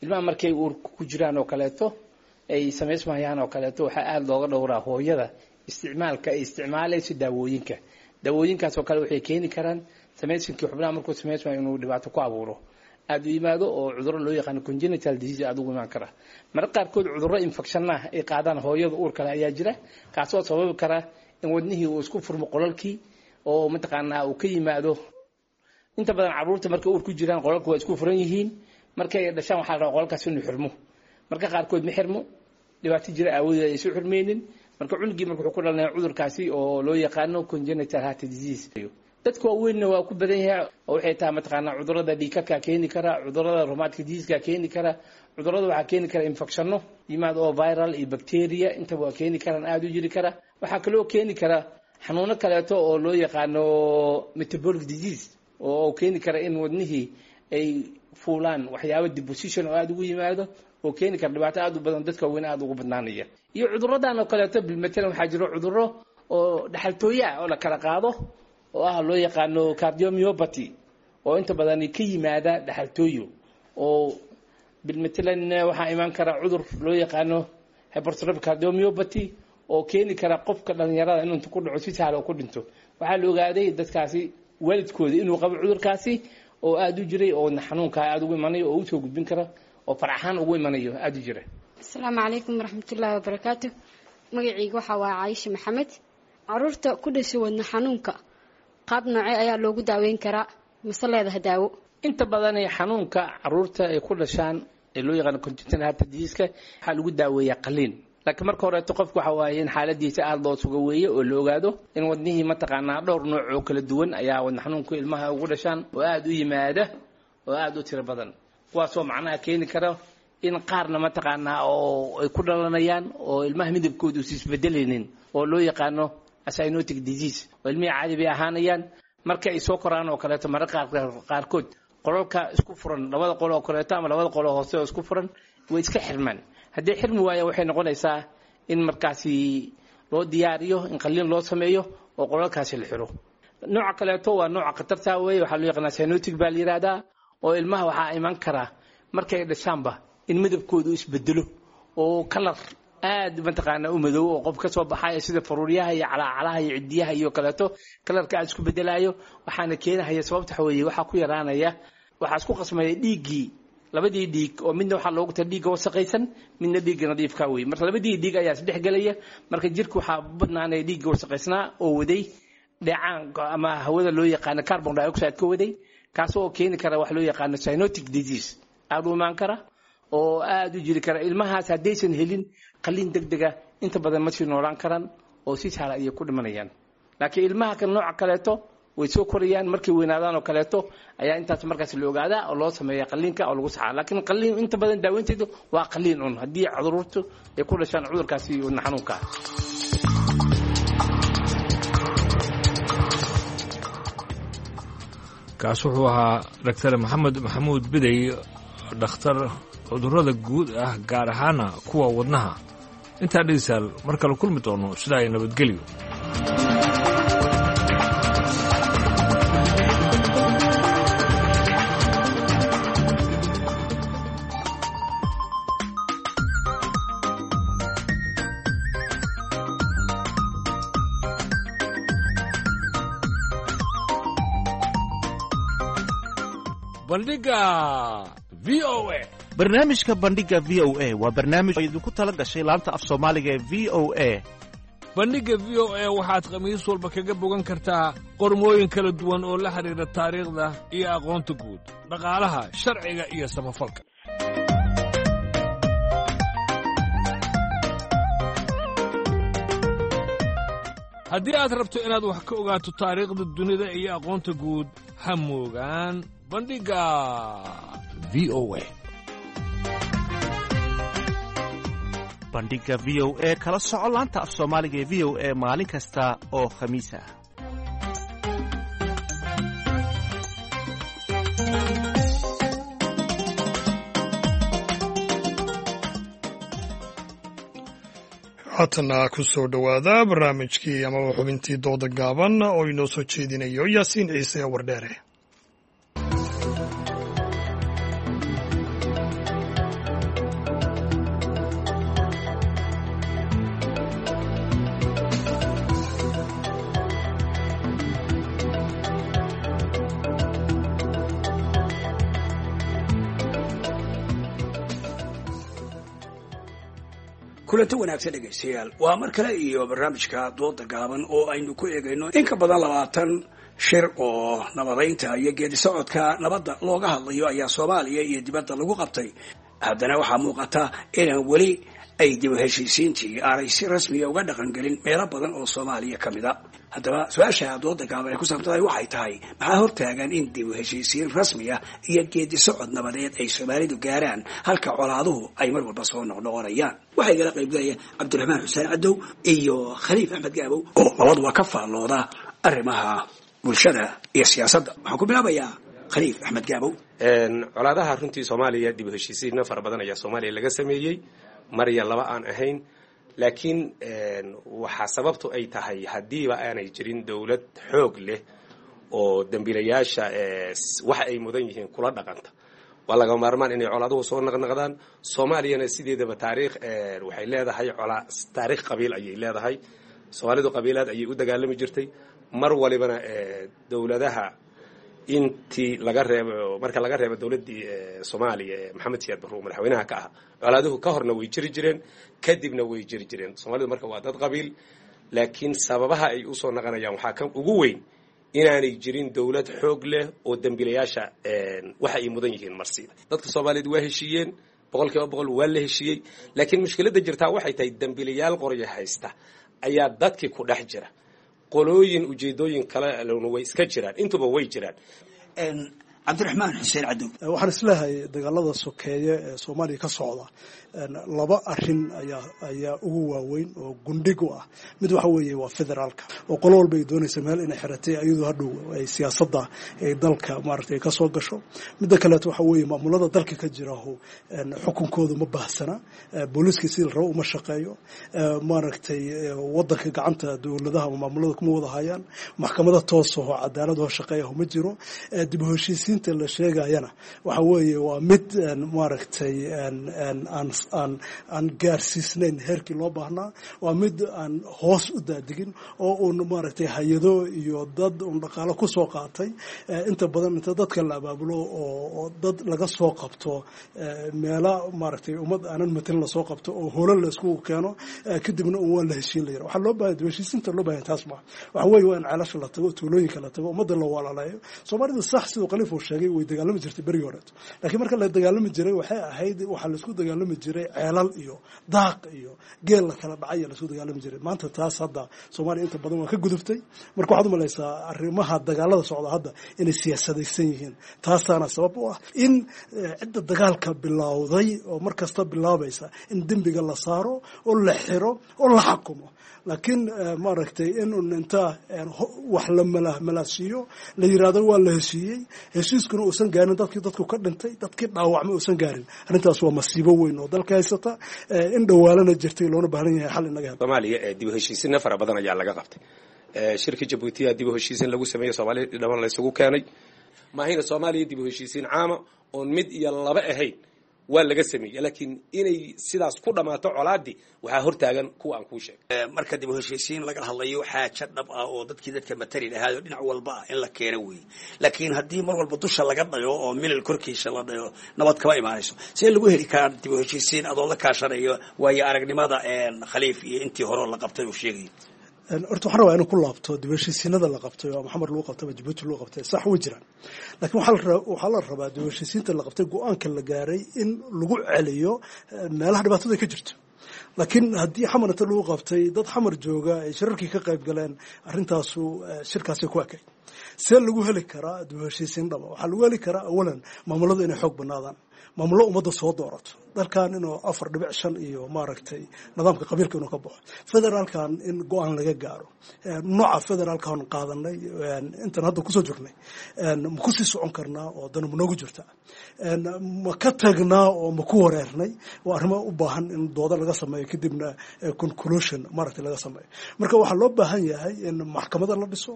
Ilmaha markay uurka ku jiraan oo kaleeto, ay samaysmayaan oo kaleeto, waxaa aada looga dhowraa hooyada isticmaalka ay isticmaalayso daawooyinka. Daawooyinkaas oo kale waxay keeni karaan samaysinkii xubnaha markuu samaysmayo inuu dhibaato ku abuuro, aada u yimaado oo cudurro loo yaqaano congenital disease aada ugu imaan kara. Mararka qaarkood cudurro infectionnah ay qaadaan hooyada uur kale ayaa jira, kaasoo sababi kara in wadnihii uu isku furmo qolalkii, oo mataqaanaa uu ka yimaado. Inta badan carruurta markay uur ku jiraan qolalka waa isku furan yihiin. Markay dhashaan waxaa la rabaa qolalkaas inuu xirmo. Marka qaarkood ma xirmo, dhibaato jira aawadeed ay isu xirmeynin. Marka cunugii marka wuxuu ku dhalanaya cudurkaasi oo loo yaqaano congenital heart disease. Dadka waaweynna waa ku badan yahay, oo waxay tahay mataqaanaa cudurada dhiigkarkaa keeni kara, cudurada rheumatic diseaseka keeni kara, cudurada waxaa keeni kara infectionno yimaad oo viral iyo bacteria intaba waa keeni karaan, aada u jiri kara. Waxaa kaloo keeni kara xanuuno kaleeto oo loo yaqaano metabolic disease, oo keeni kara in wadnihii ay fuulaan waxyaabo deposition oo aada ugu yimaado, oo keeni kara dhibaato aada u badan, dadka waaweyn aada ugu badnaanaya. Iyo cuduradan oo kaleeto, bilmatalan waxaa jiro cuduro oo dhaxaltooye ah oo la kala qaado, oo ah loo yaqaano cardiomyopathy, oo inta badan ka yimaada dhaxaltooyo. Oo bilmatalan waxaa imaan kara cudur loo yaqaano hypertrophic cardiomyopathy, oo keeni kara qofka dhalinyarada inuu inta ku dhaco si sahal oo ku dhinto. Waxaa la ogaaday dadkaasi waalidkooda inuu qabo cudurkaasi oo aada u jiray, oo xanuunkaa aada ugu imanayo, oo usoo gudbin kara, oo faraxaan ugu imanayo aada u jira. Asalaamu calaykum waraxmatullaahi wabarakaatu. Magacayga waxaa waa Caayisha Maxamed. Caruurta ku dhashay wadna xanuunka qaab noocee ayaa loogu daaweyn karaa, mase leedaha daawo? Inta badan xanuunka caruurta ay ku dhashaan ee loo yaqaano congenital heart disease-ka waxaa lagu daaweeyaa qaliin. Laakiin marka horeeto qofku waxa waaye in xaaladiisa aada loo suga weeye, oo la ogaado in wadnihii mataqaanaa dhowr nooc oo kala duwan ayaa wadna xanuunku ilmaha ugu dhashaan, oo aada u yimaada oo aada u tiro badan, kuwaasoo macnaha keeni kara in qaarna mataqaanaa oo ay ku dhalanayaan oo ilmaha midabkooda uusa isbedelaynin, oo loo yaqaano acyanotic disease, oo ilmihii caadi bay ahaanayaan. Marka ay soo koraan oo kaleeto, mararka qaarkood qolalka isku furan, labada qol oo kaleeto ama labada qol oo hoose oo isku furan, way iska xirmaan. Haddii xirmi waaya, waxay noqonaysaa in markaasi loo diyaariyo in qaliin loo sameeyo oo qolalkaasi la xiro. Nooca kaleeto waa nooca khatarta weeye, waxaa loo yaqaanaa cyanotic baa la yidhaahdaa, oo ilmaha waxaa iman karaa markay dhashaanba in midabkoodu isbedelo, oo kalar aad mataqaanaa u madow oo qof ka soo baxayo, sida faruuryaha iyo calaacalaha iyo cidiyaha iyo kaleeto, kalarka aad isku bedelaayo. Waxaana keenahaya sababta waxa weeye waxaa ku yaraanaya, waxaa isku qasmaya dhiiggii, labadii dhiig, oo midna waxaa loogu tala dhiigga wasaqaysan, midna dhiigga nadiifka wey. Marka labadii dhiig ayaa isdhex gelaya. Marka jirka waxaa badnaanaya dhiigga wasaqaysnaa oo waday dheecaan ama hawada loo yaqaano carbon dioxide ka waday, kaasoo keeni kara wax loo yaqaano cyanotic disease aada u imaan kara oo aada u jiri kara. Ilmahaas haddaysan helin qaliin deg dega, inta badan ma sii noolaan karaan oo si sahla ayay ku dhimanayaan. Laakiin ilmaha kan nooca kaleeto way soo korayaan, markay weynaadaan oo kaleeto ayaa intaas markaas la ogaadaa oo loo sameeya qaliinka oo lagu saxaa. Laakiin qaliin inta badan daaweynteedu waa qaliin un haddii cudurtu ay ku dhashaan cudurkaasi wadna xanuunka. Kaas wuxuu ahaa Doctor Maxamed Maxamuud Bidey, dhakhtar cudurrada guud ah, gaar ahaana kuwa wadnaha. Intaa dhegeystayaal mar kale kulmi doono, sidaa ay nabadgelyo. Bandhiga v o a. Barnaamijka Bandhiga v o a waa barnaamij oo idinku tala gashay laanta af Soomaaliga ee v o a. Bandhigga v o a waxaad khamiis walba kaga bogan kartaa qormooyin kala duwan oo la xidhiidha taariikhda iyo aqoonta guud, dhaqaalaha, sharciga iyo samafalka. Haddii aad rabto inaad wax ka ogaato taariikhda dunida iyo aqoonta guud, ha moogaan Bandhigga v o a. Bandhiga v o a, kala soco laanta af Soomaaliga ee v o a maalin kasta oo khamiis ah. Haatana ku soo dhowaada barnaamijkii amaba xubintii dooda gaaban oo inoo soo jeedinayo Yaasiin Ciise Wardheere. Kulanti wanaagsan dhegaystayaal, waa mar kale iyo barnaamijka dooda gaaban oo aynu ku eegayno in ka badan 20 shir oo nabadaynta iyo geedi socodka nabadda looga hadlayo ayaa Soomaaliya iyo dibadda lagu qabtay. Haddana waxaa muuqata inaan weli ay dib u heshiisiintii aanay si rasmiya uga dhaqangelin meelo badan oo Soomaaliya ka mid a. Haddaba su-aasha dooda gaaban ay ku saabsantahay waxay tahay, maxaa hortaagan in dib u heshiisiin rasmiya iyo geedi socod nabadeed ay Soomaalidu gaaraan, halka colaaduhu ay mar walba soo noqnoqonayaan? Waxaa igala qaybgalaya Cabdiraxmaan Xuseen Cadow iyo Khaliif Axmed Gaabow oo labaduba ka faallooda arrimaha bulshada iyo siyaasadda. Waxaan ku bilaabayaa Khaliif Axmed Gaabow. Colaadaha runtii Soomaaliya, dib u heshiisiinna fara badan ayaa Soomaaliya laga sameeyey, mar iyo laba aan ahayn, laakiin waxaa sababtu ay tahay haddiiba aanay jirin dowlad xoog leh oo dembiilayaasha waxa ay mudan yihiin kula dhaqanta, waa laga maarmaan inay colaaduhu soo naqnaqdaan. Soomaaliyana sideedaba taariikh waxay leedahay taariikh qabiil ayay leedahay. Soomaalidu qabiilaad ayay u dagaalami jirtay mar walibana. Dowladaha intii laga reebo, marka laga reebo dowladdii Soomaaliya ee Maxamed Siyaad Barre uu madaxweynaha ka ahaa, colaaduhu ka horna way jiri jireen, kadibna way jiri jireen. Soomaalidu marka waa dad qabiil, laakiin sababaha ay usoo naqanayaan waxaa kan ugu weyn inaanay jirin dowlad xoog leh oo dembiilayaasha waxa ay mudan yihiin marsiida. Dadka Soomaaliyeed waa heshiiyeen, 100% waa la heshiiyey, laakiin mushkiladda jirtaa waxay tahay dembiilayaal qoryo haysta ayaa dadkii ku dhex jira, qolooyin ujeedooyin kale lna way iska jiraan, intuba way jiraan. Cabdiraxmaan Xuseen Cadow. Waxaan isleehay dagaalada sokeeye ee Soomaaliya ka socda laba arin ayaa ugu waaweyn oo gundhig u ah. Mid waxa weeye waa federaalka, oo qolo walba ay doonaysa meel inay xiratay iyadoo hadhow ay siyaasadda ay dalka maaragtay ka soo gasho. Midda kaleeto waxa weeye maamulada dalka ka jiraho xukunkoodu ma baahsana, booliiska sidii la rabo uma shaqeeyo, maaragtay wadanka gacanta dowladaha ama maamulada kuma wada hayaan, maxkamada toosahoo cadaaladahoo shaqeeyaho ma jiro. Dib u heshiisiinta la sheegayana waxa weeye waa mid maaragtay aan gaarsiisnayn heerkii loo baahnaa, waa mid aan hoos u daadigin oo uun maaragtay hay-ado iyo dad uun dhaqaalo ku soo qaatay inta badan inta dadka la abaabulo oo dad laga soo qabto meela maaragtay ummad aanan matelin lasoo qabto oo holo la isku keeno, kadibna un waa la heshiin la yira. Waxaa loo baahan dib heshiisiinta loo baahan taas ma waxa weeye waa in ceelasha la tago, tuulooyinka la tago, ummadda la walaalayo. Soomaalidu sax siduu Khaliif uu sheegay way dagaalami jirtay berigii horeeto, laakiin marka la dagaalami jiray waxay ahayd waxaa laisku dagaalami jiray ceelal iyo daaq iyo geel la kala dhacay laisku dagaalami jiray. Maanta taas hadda Soomaaliya inta badan waa ka gudubtay. Marka waxaad umalaysaa arrimaha dagaalada socda hadda inay siyaasadaysan yihiin, taasaana sabab u ah in cidda dagaalka bilowday oo mar kasta bilaabaysa in dembiga la saaro oo la xiro oo la xakumo. Laakiin maaragtay inun inta wax la malaasiiyo la yiraahdo waa la heshiiyey, heshiiskuna uusan gaarin dadkii dadku ka dhintay, dadkii dhaawacmay uusan gaarin, arrintaas waa masiibo weyn oo dalka haysata, in dhawaalana jirtay loona baahan yahay xal inaga helo. Soomaaliya dib u heshiisina fara badan ayaa laga qabtay. Shirkii Jabuutiya dib u heshiisin lagu sameeyey, Soomaaliya dhaban la isugu keenay maahina. Soomaaliya dib u heshiisiin caama oon mid iyo laba ahayn waa laga sameeyey, laakiin inay sidaas ku dhammaato colaadii waxaa hortaagan kuwa aan kuu sheegay. Marka dib u heshiisiin laga hadlayo xaajo dhab ah oo dadkii dadka matali lahaayoo dhinac walba ah in la keeno weeye. Laakiin haddii mar walba dusha laga dhayo oo milil korkiisa la dhayo, nabad kama imaanayso. See lagu heli karaa dib u heshiisiin adoo la kaashanayo waayo aragnimada Khaliif iyo intii hore la qabtay uu sheegay? Horta waxaan rabaa inuu ku laabto dib u heshiisiinada la qabtay oo Maxamed lagu qabtay ama Jabuuti lagu qabtay, sax way jiraan, laakiin waxaa la rabaa dib u heshiisiinta la qabtay go-aanka la gaaray in lagu celiyo meelaha dhibaatada ka jirto. Laakiin haddii Xamar inta lagu qabtay dad Xamar jooga ay shirarkii ka qayb galeen, arrintaasu shirkaasi ku ekay. See lagu heli karaa dib u heshiisiin dhaba? Waxaa lagu heli karaa awalan maamuladu inay xoog banaadaan, maamullo ummadda soo doorato, dalkan inuu 4.5 iyo maaragtay nidaamka qabiilka inuu ka baxo, federaalkan in go-aan laga gaaro, nooca federaalkan qaadanay intan hadda kusoo jirnay ma kusii socon karnaa oo dana ma noogu jirtaa, ma ka tagnaa oo ma ku wareernay? Waa arrimo u baahan in dooda laga sameeyo, kadibna conclusion maaragtay laga sameeyo. Marka waxaa loo baahan yahay in maxkamada la dhiso,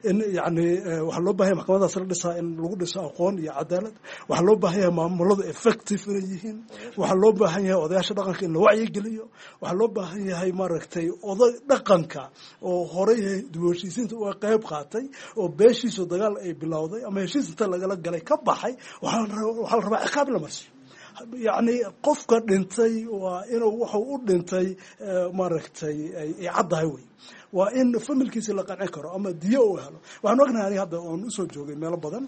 in yacni waxaa loo baahan yahay maxkamadaas la dhisaa in lagu dhiso aqoon iyo cadaalad. Waxaa loo baahan yahay maamuladu effective inay yihiin. Waxaa loo baahan yahay odayaasha dhaqanka in la wacyigeliyo. Waxaa loo baahan yahay maaragtay oday dhaqanka oo horey dib u heshiisiinta uga qayb qaatay oo beeshiisu dagaal ay bilowday ama heshiis inta lagala galay ka baxay, waxaa la rabaa ciqaab in la marsiyo. Yacni qofka dhintay waa inuu wuxuu u dhintay maaragtay ay caddahay wey, waa in familkiisa la qancin karo ama diyo uu helo. Waxaan ognahay aniga hadda oon usoo joogay meelo badan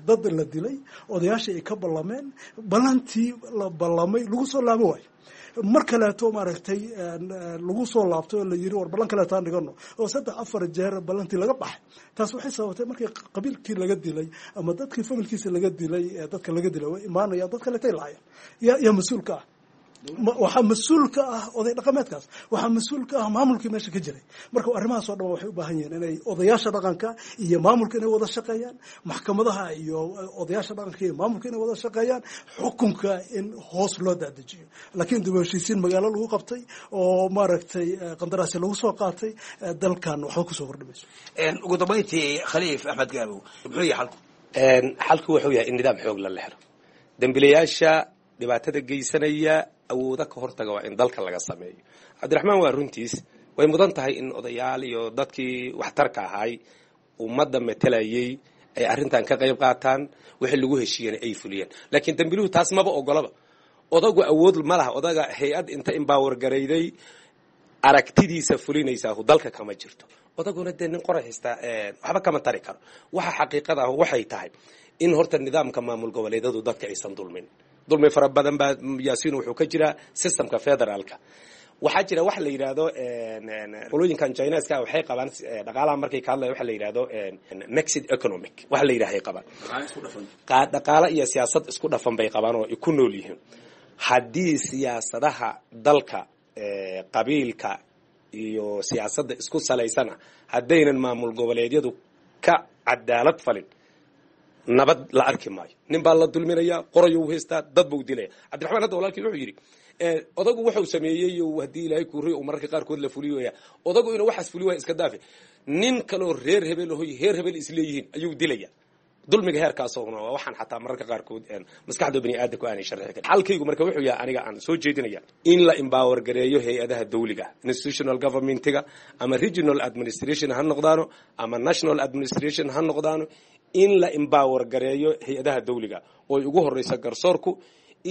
dad la dilay, odayaashii ay ka ballameen, ballantii la ballamay lagu soo laabo waayo, mar kaleeto maaragtay lagu soo laabtay oo la yiri war ballan kaleeto aan dhigano, oo 3 4 jeer ballantii laga baxay. Taas waxay sababtay markii qabiilkii laga dilay ama dadkii familkiisa laga dilay, dadka laga dilay way imaanayaan, dad kaleetay laayaan. Yaa mas-uul ka ah? Waxaa mas-uul ka ah oday dhaqameedkaas, waxaa mas-uul ka ah maamulkii meesha ka jiray. Marka arrimahaas oo dhan waxay u baahan yihiin inay odayaasha dhaqanka iyo maamulka inay wada shaqeeyaan, maxkamadaha iyo odayaasha dhaqanka iyo maamulka inay wada shaqeeyaan, xukunka in hoos loo dadejiyo. Laakiin dib u heshiisiin magaalo lagu qabtay oo maaragtay qandaraasi lagu soo qaatay dalkan waxba kusoo kordhimayso. Ugu dambayntii Khaliif Axmed Gaabow, muxuu yahay xalku? Xalku wuxuu yahay in nidaam xoog la helo, dembilayaasha dhibaatada geysanaya awooda ka hortaga waa in dalka laga sameeyo. Cabdiraxmaan waa runtiis, way mudan tahay in odayaal iyo dadkii waxtarka ahaay ummadda matelayay ay arrintan ka qayb qaataan, wixii lagu heshiiyana ay fuliyeen. Laakiin dembiluhu taas maba ogolaba. Odagu awood ma laha. Odaga hay-ad inta embower garayday aragtidiisa fulinaysaa dalka kama jirto. Odaguna dee nin qoray haystaa waxba kama tari karo. Waxa xaqiiqada ah waxay tahay in horta nidaamka maamul goboleedyadu dadka aysan dulmin. Dulmi fara badan baa Yaasiin wuxuu ka jiraa systemka federaalka. Waxaa jira wax la yidhaahdo qolooyinkan Chineska waxay qabaan dhaqaalaha markay ka hadlayan waxa la yidhahdo mixed economic waxa la yidhahay qabaan, dhaqaale iyo siyaasad isku dhafan bay qabaan oo ay ku nool yihiin. Haddii siyaasadaha dalka qabiilka iyo siyaasadda isku salaysana haddaynan maamul goboleedyadu ka cadaalad falin, nabad la arki maayo. Nin baa la dulminayaa, qorayuu haystaa, dad buu dilaya. Cabdiraxmaan hadda walaalkii wuxuu yidhi odagu wuxuu sameeyey haddii Ilaahay kuuriy uu mararka qaarkood la fuliyoya, odagu inuu waxaas fuliyo waa iska daafe, nin kaloo reer hebel ahoy heer hebel isleeyihiin ayuu dilaya. Dulmiga heerkaasoo waa waxaan xataa mararka qaarkood maskaxda bani aadamku aanay sharxi karin. Xalkaygu marka wuxuu yahay aniga aan soo jeedinaya in la empower gareeyo hay-adaha dawliga, institutional governmentiga, ama regional administration ha noqdaano ama national administration ha noqdaano, in la empower gareeyo hay-adaha dawliga oo ay ugu horeysa garsoorku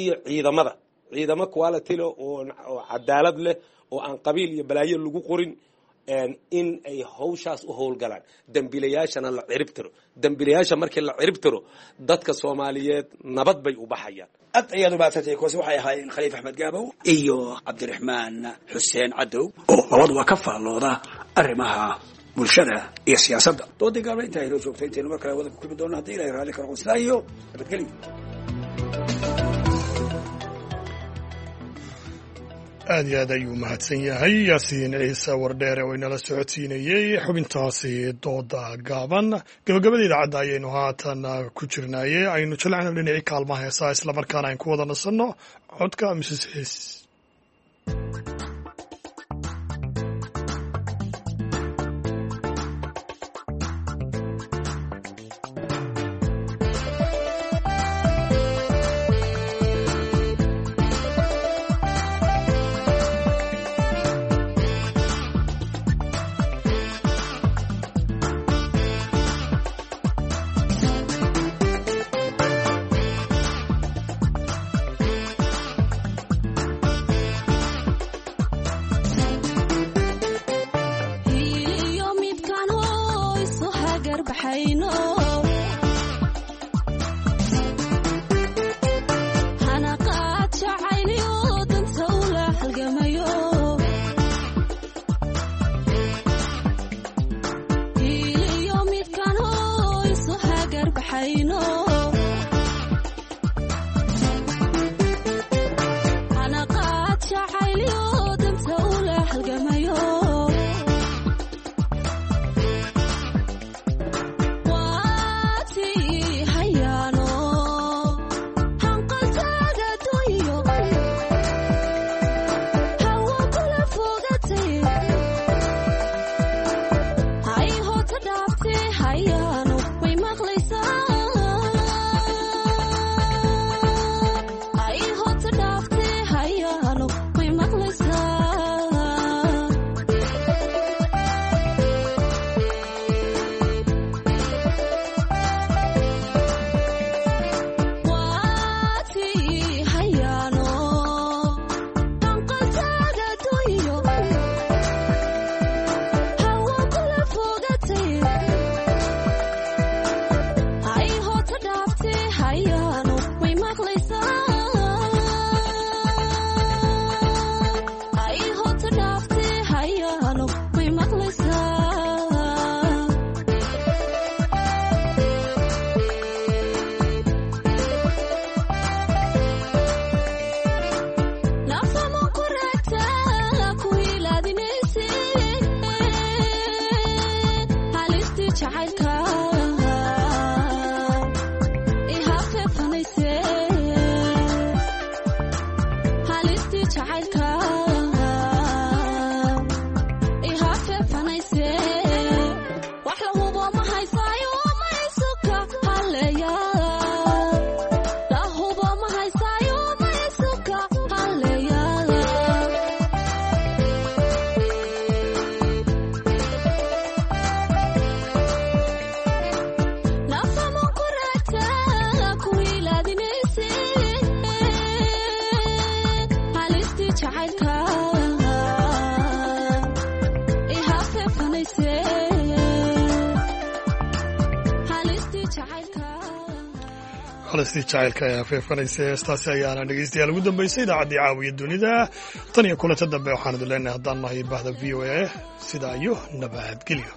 iyo ciidamada, ciidamo quality leh oo cadaalad leh oo aan qabiil iyo balaayo lagu qorin. In ay hawshaas u howlgalaan, dembiilayaashana la cirib tiro. Dembiilayaasha markii la cirib tiro, dadka Soomaaliyeed nabad bay u baxayaan. Aad ayaad umahadsantay. Kuwaasi waxay ahaayeen Khaliif Axmed Gaabow iyo Cabdiraxmaan Xuseen Cadow oo labaduba ka faallooda arrimaha bulshada iyo siyaasadda. Doodii gaabna intaa inoo joogta, intaynu mar kale wada ku kulmi doonno haddii Ilahay raalli ka noqon, sidaa iyo nabadgelyo. Aad iyo aad ayuu mahadsan yahay Yaasiin Ciise Wardheere oo inala socodsiinayey xubintaasi dooda gaaban. Gabagabada idaacadda ayaynu haatan ku jirnaaye, aynu jilacno dhinacii kaalmaha heesaa, islamarkaana aynu ku wada nasanno codka Mrs Xiis. Halistii jacaylka ayaa feefanaysa. Heestaasi ayaana dhegeystayaal ugu dambeysay idaacaddii Caawiya Dunida. Tan iyo kulanta dambe, waxaan idin leenahay haddaan nahay bahda VOA, sidaa iyo nabadgelyo.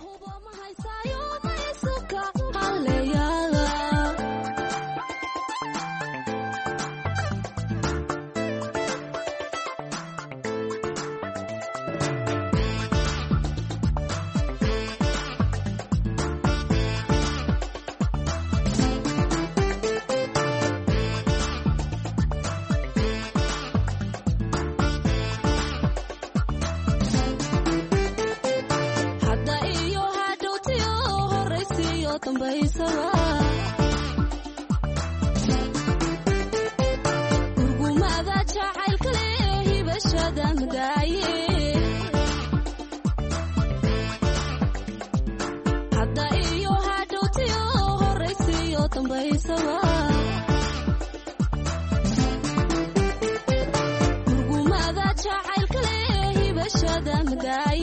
Jacaylka leh hibashada madaay.